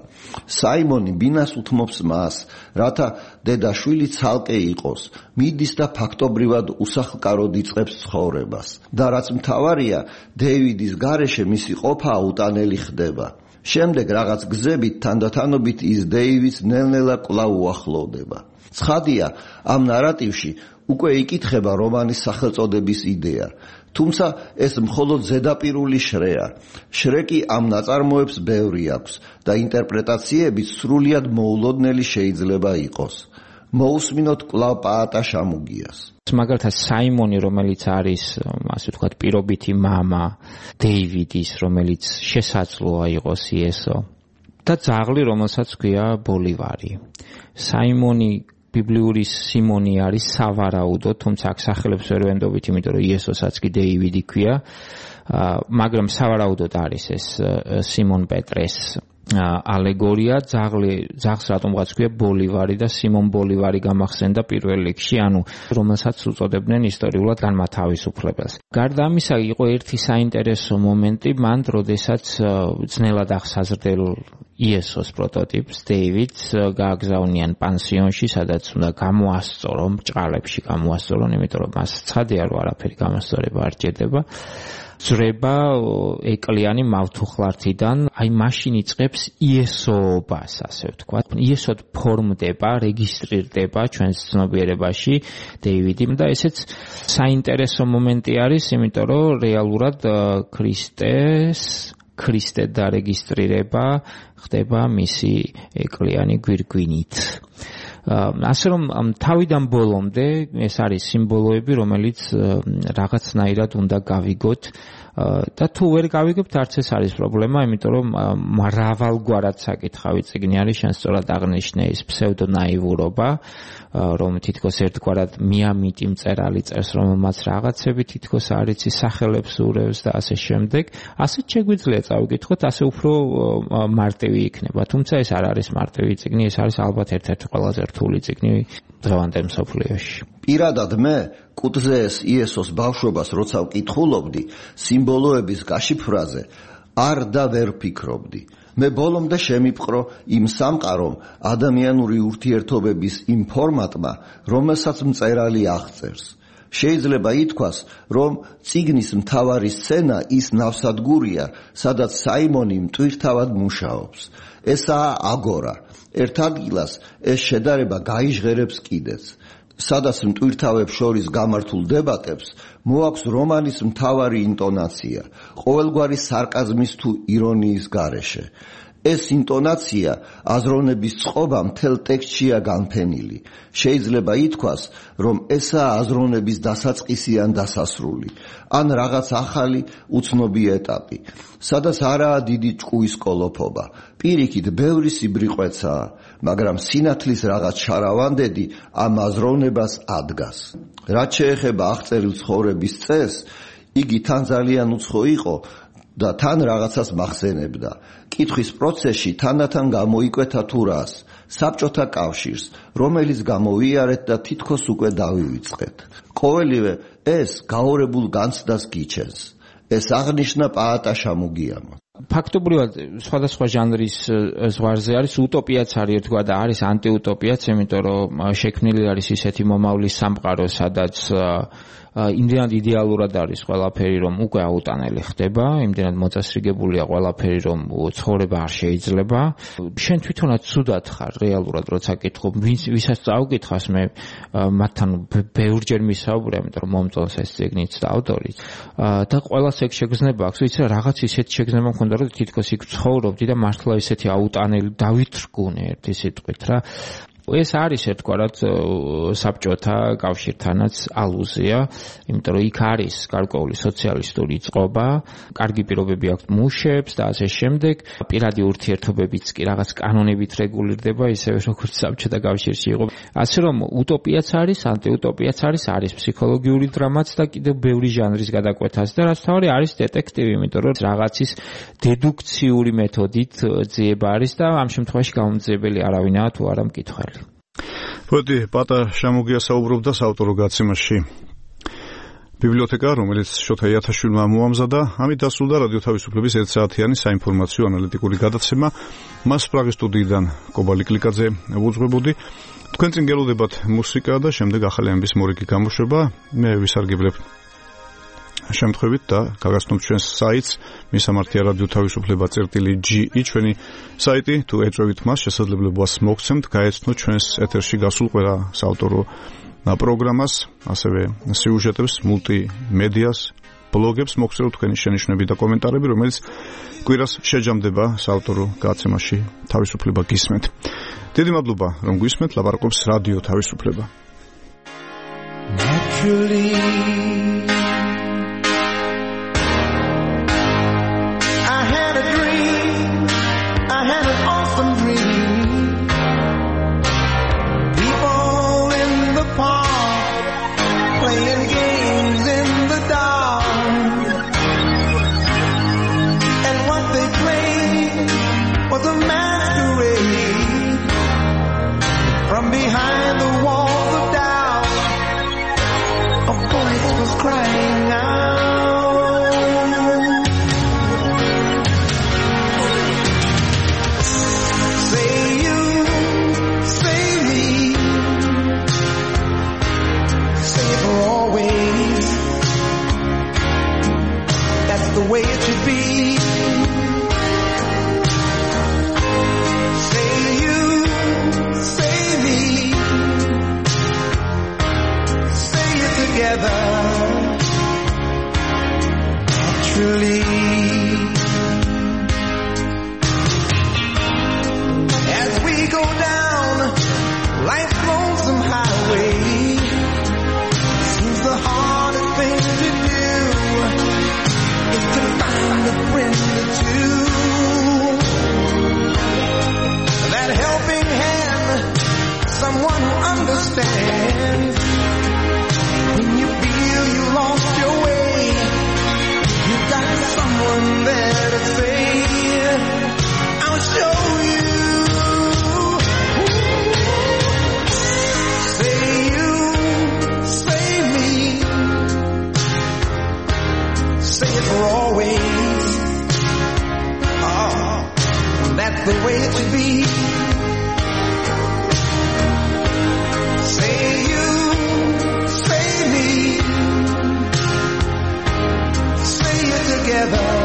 Speaker 5: საიმონი ბინას უთმობს მას, რათა დედაშვილი ცალკე იყოს, მიდის და ფაქტობრივად უსახლკაროდ იწყებს ცხოვრებას. და რაც მთავარია, დეივიდის გარეშე მისი ყოფა უტანელი ხდება. შემდეგ რაღაც გზებით თანდათანობით ის დეივიდს ნელ-ნელა კვლავ უახლოვდება. ცხადია, ამ ნარატივში უკვე იკითხება რომანის სახელწოდების იდეა, თუმცა ეს მხოლოდ ზედაპირული შრეა. შრე კი ამ ნაწარმოებს ბევრი აქვს და ინტერპრეტაციებით სრულიად მოულოდნელი შეიძლება იყოს. მოусმინოთ კვლავ პაატა შამუგიას.
Speaker 7: მაგალითად საიმონი, რომელიც არის, ასე ვთქვათ, პირობითი მამა დეივიდის, რომელიც შესაძლოა იყოს იესო და ძაღლი, რომელსაც ქვია ბოლივარი. საიმონი ბიბლიური სიმონი არის სავარაუდო, თუმცა აქ სახელებს ვერ ვენდობით, იმიტომ რომ იესოსაც კი დეივიდი ქვია, მაგრამ სავარაუდოდ არის ეს სიმონ პეტრეს ალეგორია. ძაღლი, ძაღლს რატომღაც ქვია ბოლივარი და სიმონ ბოლივარი გამახსენდა პირველ რიგში, ანუ რომელსაც უწოდებდნენ ისტორიულად განმათავისუფლებელს. გარდა ამისა, იყო ერთი საინტერესო მომენტი მან, როდესაც ძნელად აღსაზრდელ იესოს პროტოტიპს დეივიდს გააგზავნიან პანსიონში, სადაც უნდა გამოასწორო, ბრჭყალებში გამოასწორონ, იმიტომ რომ მას ცხადია, რომ არაფერი გამოსწორება არ ჭირდება. ძრება ეკლიანი მავთუხლართიდან, აი მაშინ იწყებს იესოობას, ასე ვთქვათ. იესოდ ფორმდება, რეგისტრირდება ჩვენს ცნობიერებაში დეივიდი და ესეც საინტერესო მომენტი არის, იმიტომ რომ რეალურად ქრისტეს ქრისტე დარეგისტრირება ხდება მისი ეკლიანი გვირგვინით. ასე რომ თავიდან ბოლომდე ეს არის სიმბოლოები, რომელიც რაღაცნაირად უნდა გავიგოთ და თუ ვერ გავიგებთ, არც ეს არის პრობლემა, იმიტომ რომ მრავალგვარად საკითხავი წიგნი არის, შენ სწორად აღნიშნე ის ფსევდონაივურობა, რომ თითქოს ერთგვარად მიამიტი მწერალი წერს, რომელმაც რაღაცები თითქოს არ იცი, სახელებს ურევს და ასე შემდეგ. ასეც შეგვიძლია წავიკითხოთ, ასე უფრო მარტივი იქნება. თუმცა ეს არ არის მარტივი წიგნი, ეს არის ალბათ ერთ-ერთი ყველაზე რთული წიგნი დღევანდელ მსოფლიოში.
Speaker 5: პირადად მე კუთხეეს იესოს ბავშვობას როცა ვკითხულობდი, სიმბოლოების გაშიფრაზე არ და ვერ ფიქრობდი. მე ბოლომდე შემიპყრო იმ სამყარომ ადამიანური ურთიერთობების იმ ფორმატმა, რომელსაც მწერალი აღწერს. შეიძლება ითქვას, რომ წიგნის მთავარი სცენა ის ნავსადგურია, სადაც საიმონი მტვირთავად მუშაობს. ესაა აგორა. ერთ ადგილას ეს შედარება გაიჟღერებს კიდეც. სადაც მტვირთავებს შორის გამართულ დებატებს მოაქვს რომანის მთავარი ინტონაცია, ყოველგვარი სარკაზმის თუ ირონიის გარეშე. ეს ინტონაცია აზროვნების წყობა მთელ ტექსტშია განფენილი. შეიძლება ითქვას, რომ ესაა აზროვნების დასაწყისი ან დასასრული, ან რაღაც ახალი უცნობი ეტაპი, სადაც არაა დიდი ჭკუის კოლოფობა. პირიქით, ბევრი სიბრიყვეცაა, მაგრამ სინათლის რაღაც შარავანდედი ამ აზროვნებას ადგას. რაც შეეხება აღწერილ ცხოვრების წესს, იგი თან ძალიან უცხო იყო და თან რაღაცას მახსენებდა. კითხვის პროცესში თანდათან გამოიკვეთა თუ რას, საბჭოთა კავშირს, რომელიც გამოვიარეთ და თითქოს უკვე დავივიწყეთ. ყოველივე ეს გაორებულ განცდას გიჩენს. ეს აღნიშნა პაატა შამუგიამო.
Speaker 7: ფაქტობრივად სხვადასხვა ჟანრის ზღვარზე არის utopia-ც არის თქვა და არის anti-utopia-ც, იმიტომ რომ შექმნილი არის ისეთი მომავლის სამყარო, სადაც იმდენად იდეალურად არის ყველაფერი, რომ უკვე აუტანელი ხდება, იმდენად მოწესრიგებულია ყველაფერი, რომ ცხოვრება არ შეიძლება. შენ თვითონაც ცუდად ხარ რეალურად, როცა კითხო, ვისაც წავკითხავს, მე მათთან ბევრჯერ მისაუბრე, იმიტომ რომ მომწონს ეს წიგნიც და ავტორიც. და ყველას ეგ შეგრძნება აქვს, ვიცი რა, რაღაც ისეთი შეგრძნება მქონდა, რომ თითქოს იქ ცხოვრობდი და მართლა ისეთი აუტანელი დავითრგუნე ერთი სიტყვით რა. ეს არის ერთგვარად საბჭოთა კავშირთანაც ალუზია, იმიტომ რომ იქ არის გარკვეული სოციალისტური წყობა, კარგი პირობები აქვს მუშებს და ასე შემდეგ, პირადი ურთიერთობებიც კი რაღაც კანონებით რეგულირდება, ისევე როგორც საბჭოთა კავშირში იყო. ასე რომ utopia-ც არის, anti-utopia-ც არის, არის ფსიქოლოგიური დრამაც და კიდევ ბევრი ჟანრის გადაკვეთაც და რაც თავი არის დეტექტივი, იმიტომ რომ რაღაცის დედუქციური მეთოდით ძიება არის და ამ შემთხვევაში გამომძიებელი არავინაა თუ არა მკითხველი.
Speaker 2: პოეტი პაატა შამუგია საუბრობდა საავტორო გაცემაში ბიბლიოთეკა, რომელიც შოთა იათაშვილმა მოამზადა. ამით დასრულდა რადიო თავისუფლების ერთ საათიანი საინფორმაციო ანალიტიკური გადაცემა. მას პრაღის სტუდიიდან კობალი კლიკაძე უძღვებოდი. თქვენ წინ გელოდებათ მუსიკა და შემდეგ ახალი ამბის მორიგი გამოშვება. მე ვისარგებლებ შემთხვევით და გაგაცნობთ ჩვენს საიტს მისამართია რადიო თავისუფლება წერტილი ჯი ი ჩვენი საიტი თუ ეწვევით მას შესაძლებლობას მოგცემთ გაეცნოთ ჩვენს ეთერში გასულ ყველა საავტორო პროგრამას, ასევე სიუჟეტებს, მულტიმედიას, ბლოგებს მოგცემთ თქვენი შენიშვნები და კომენტარები, რომელიც კვირას შეჯამდება საავტორო გადაცემაში თავისუფლება გისმენთ. დიდი მადლობა რომ გვისმენთ, ლაპარაკობს რადიო თავისუფლება.
Speaker 9: The way it should be. Say you, say me. That's the way it should be. Say you, say me, say it together.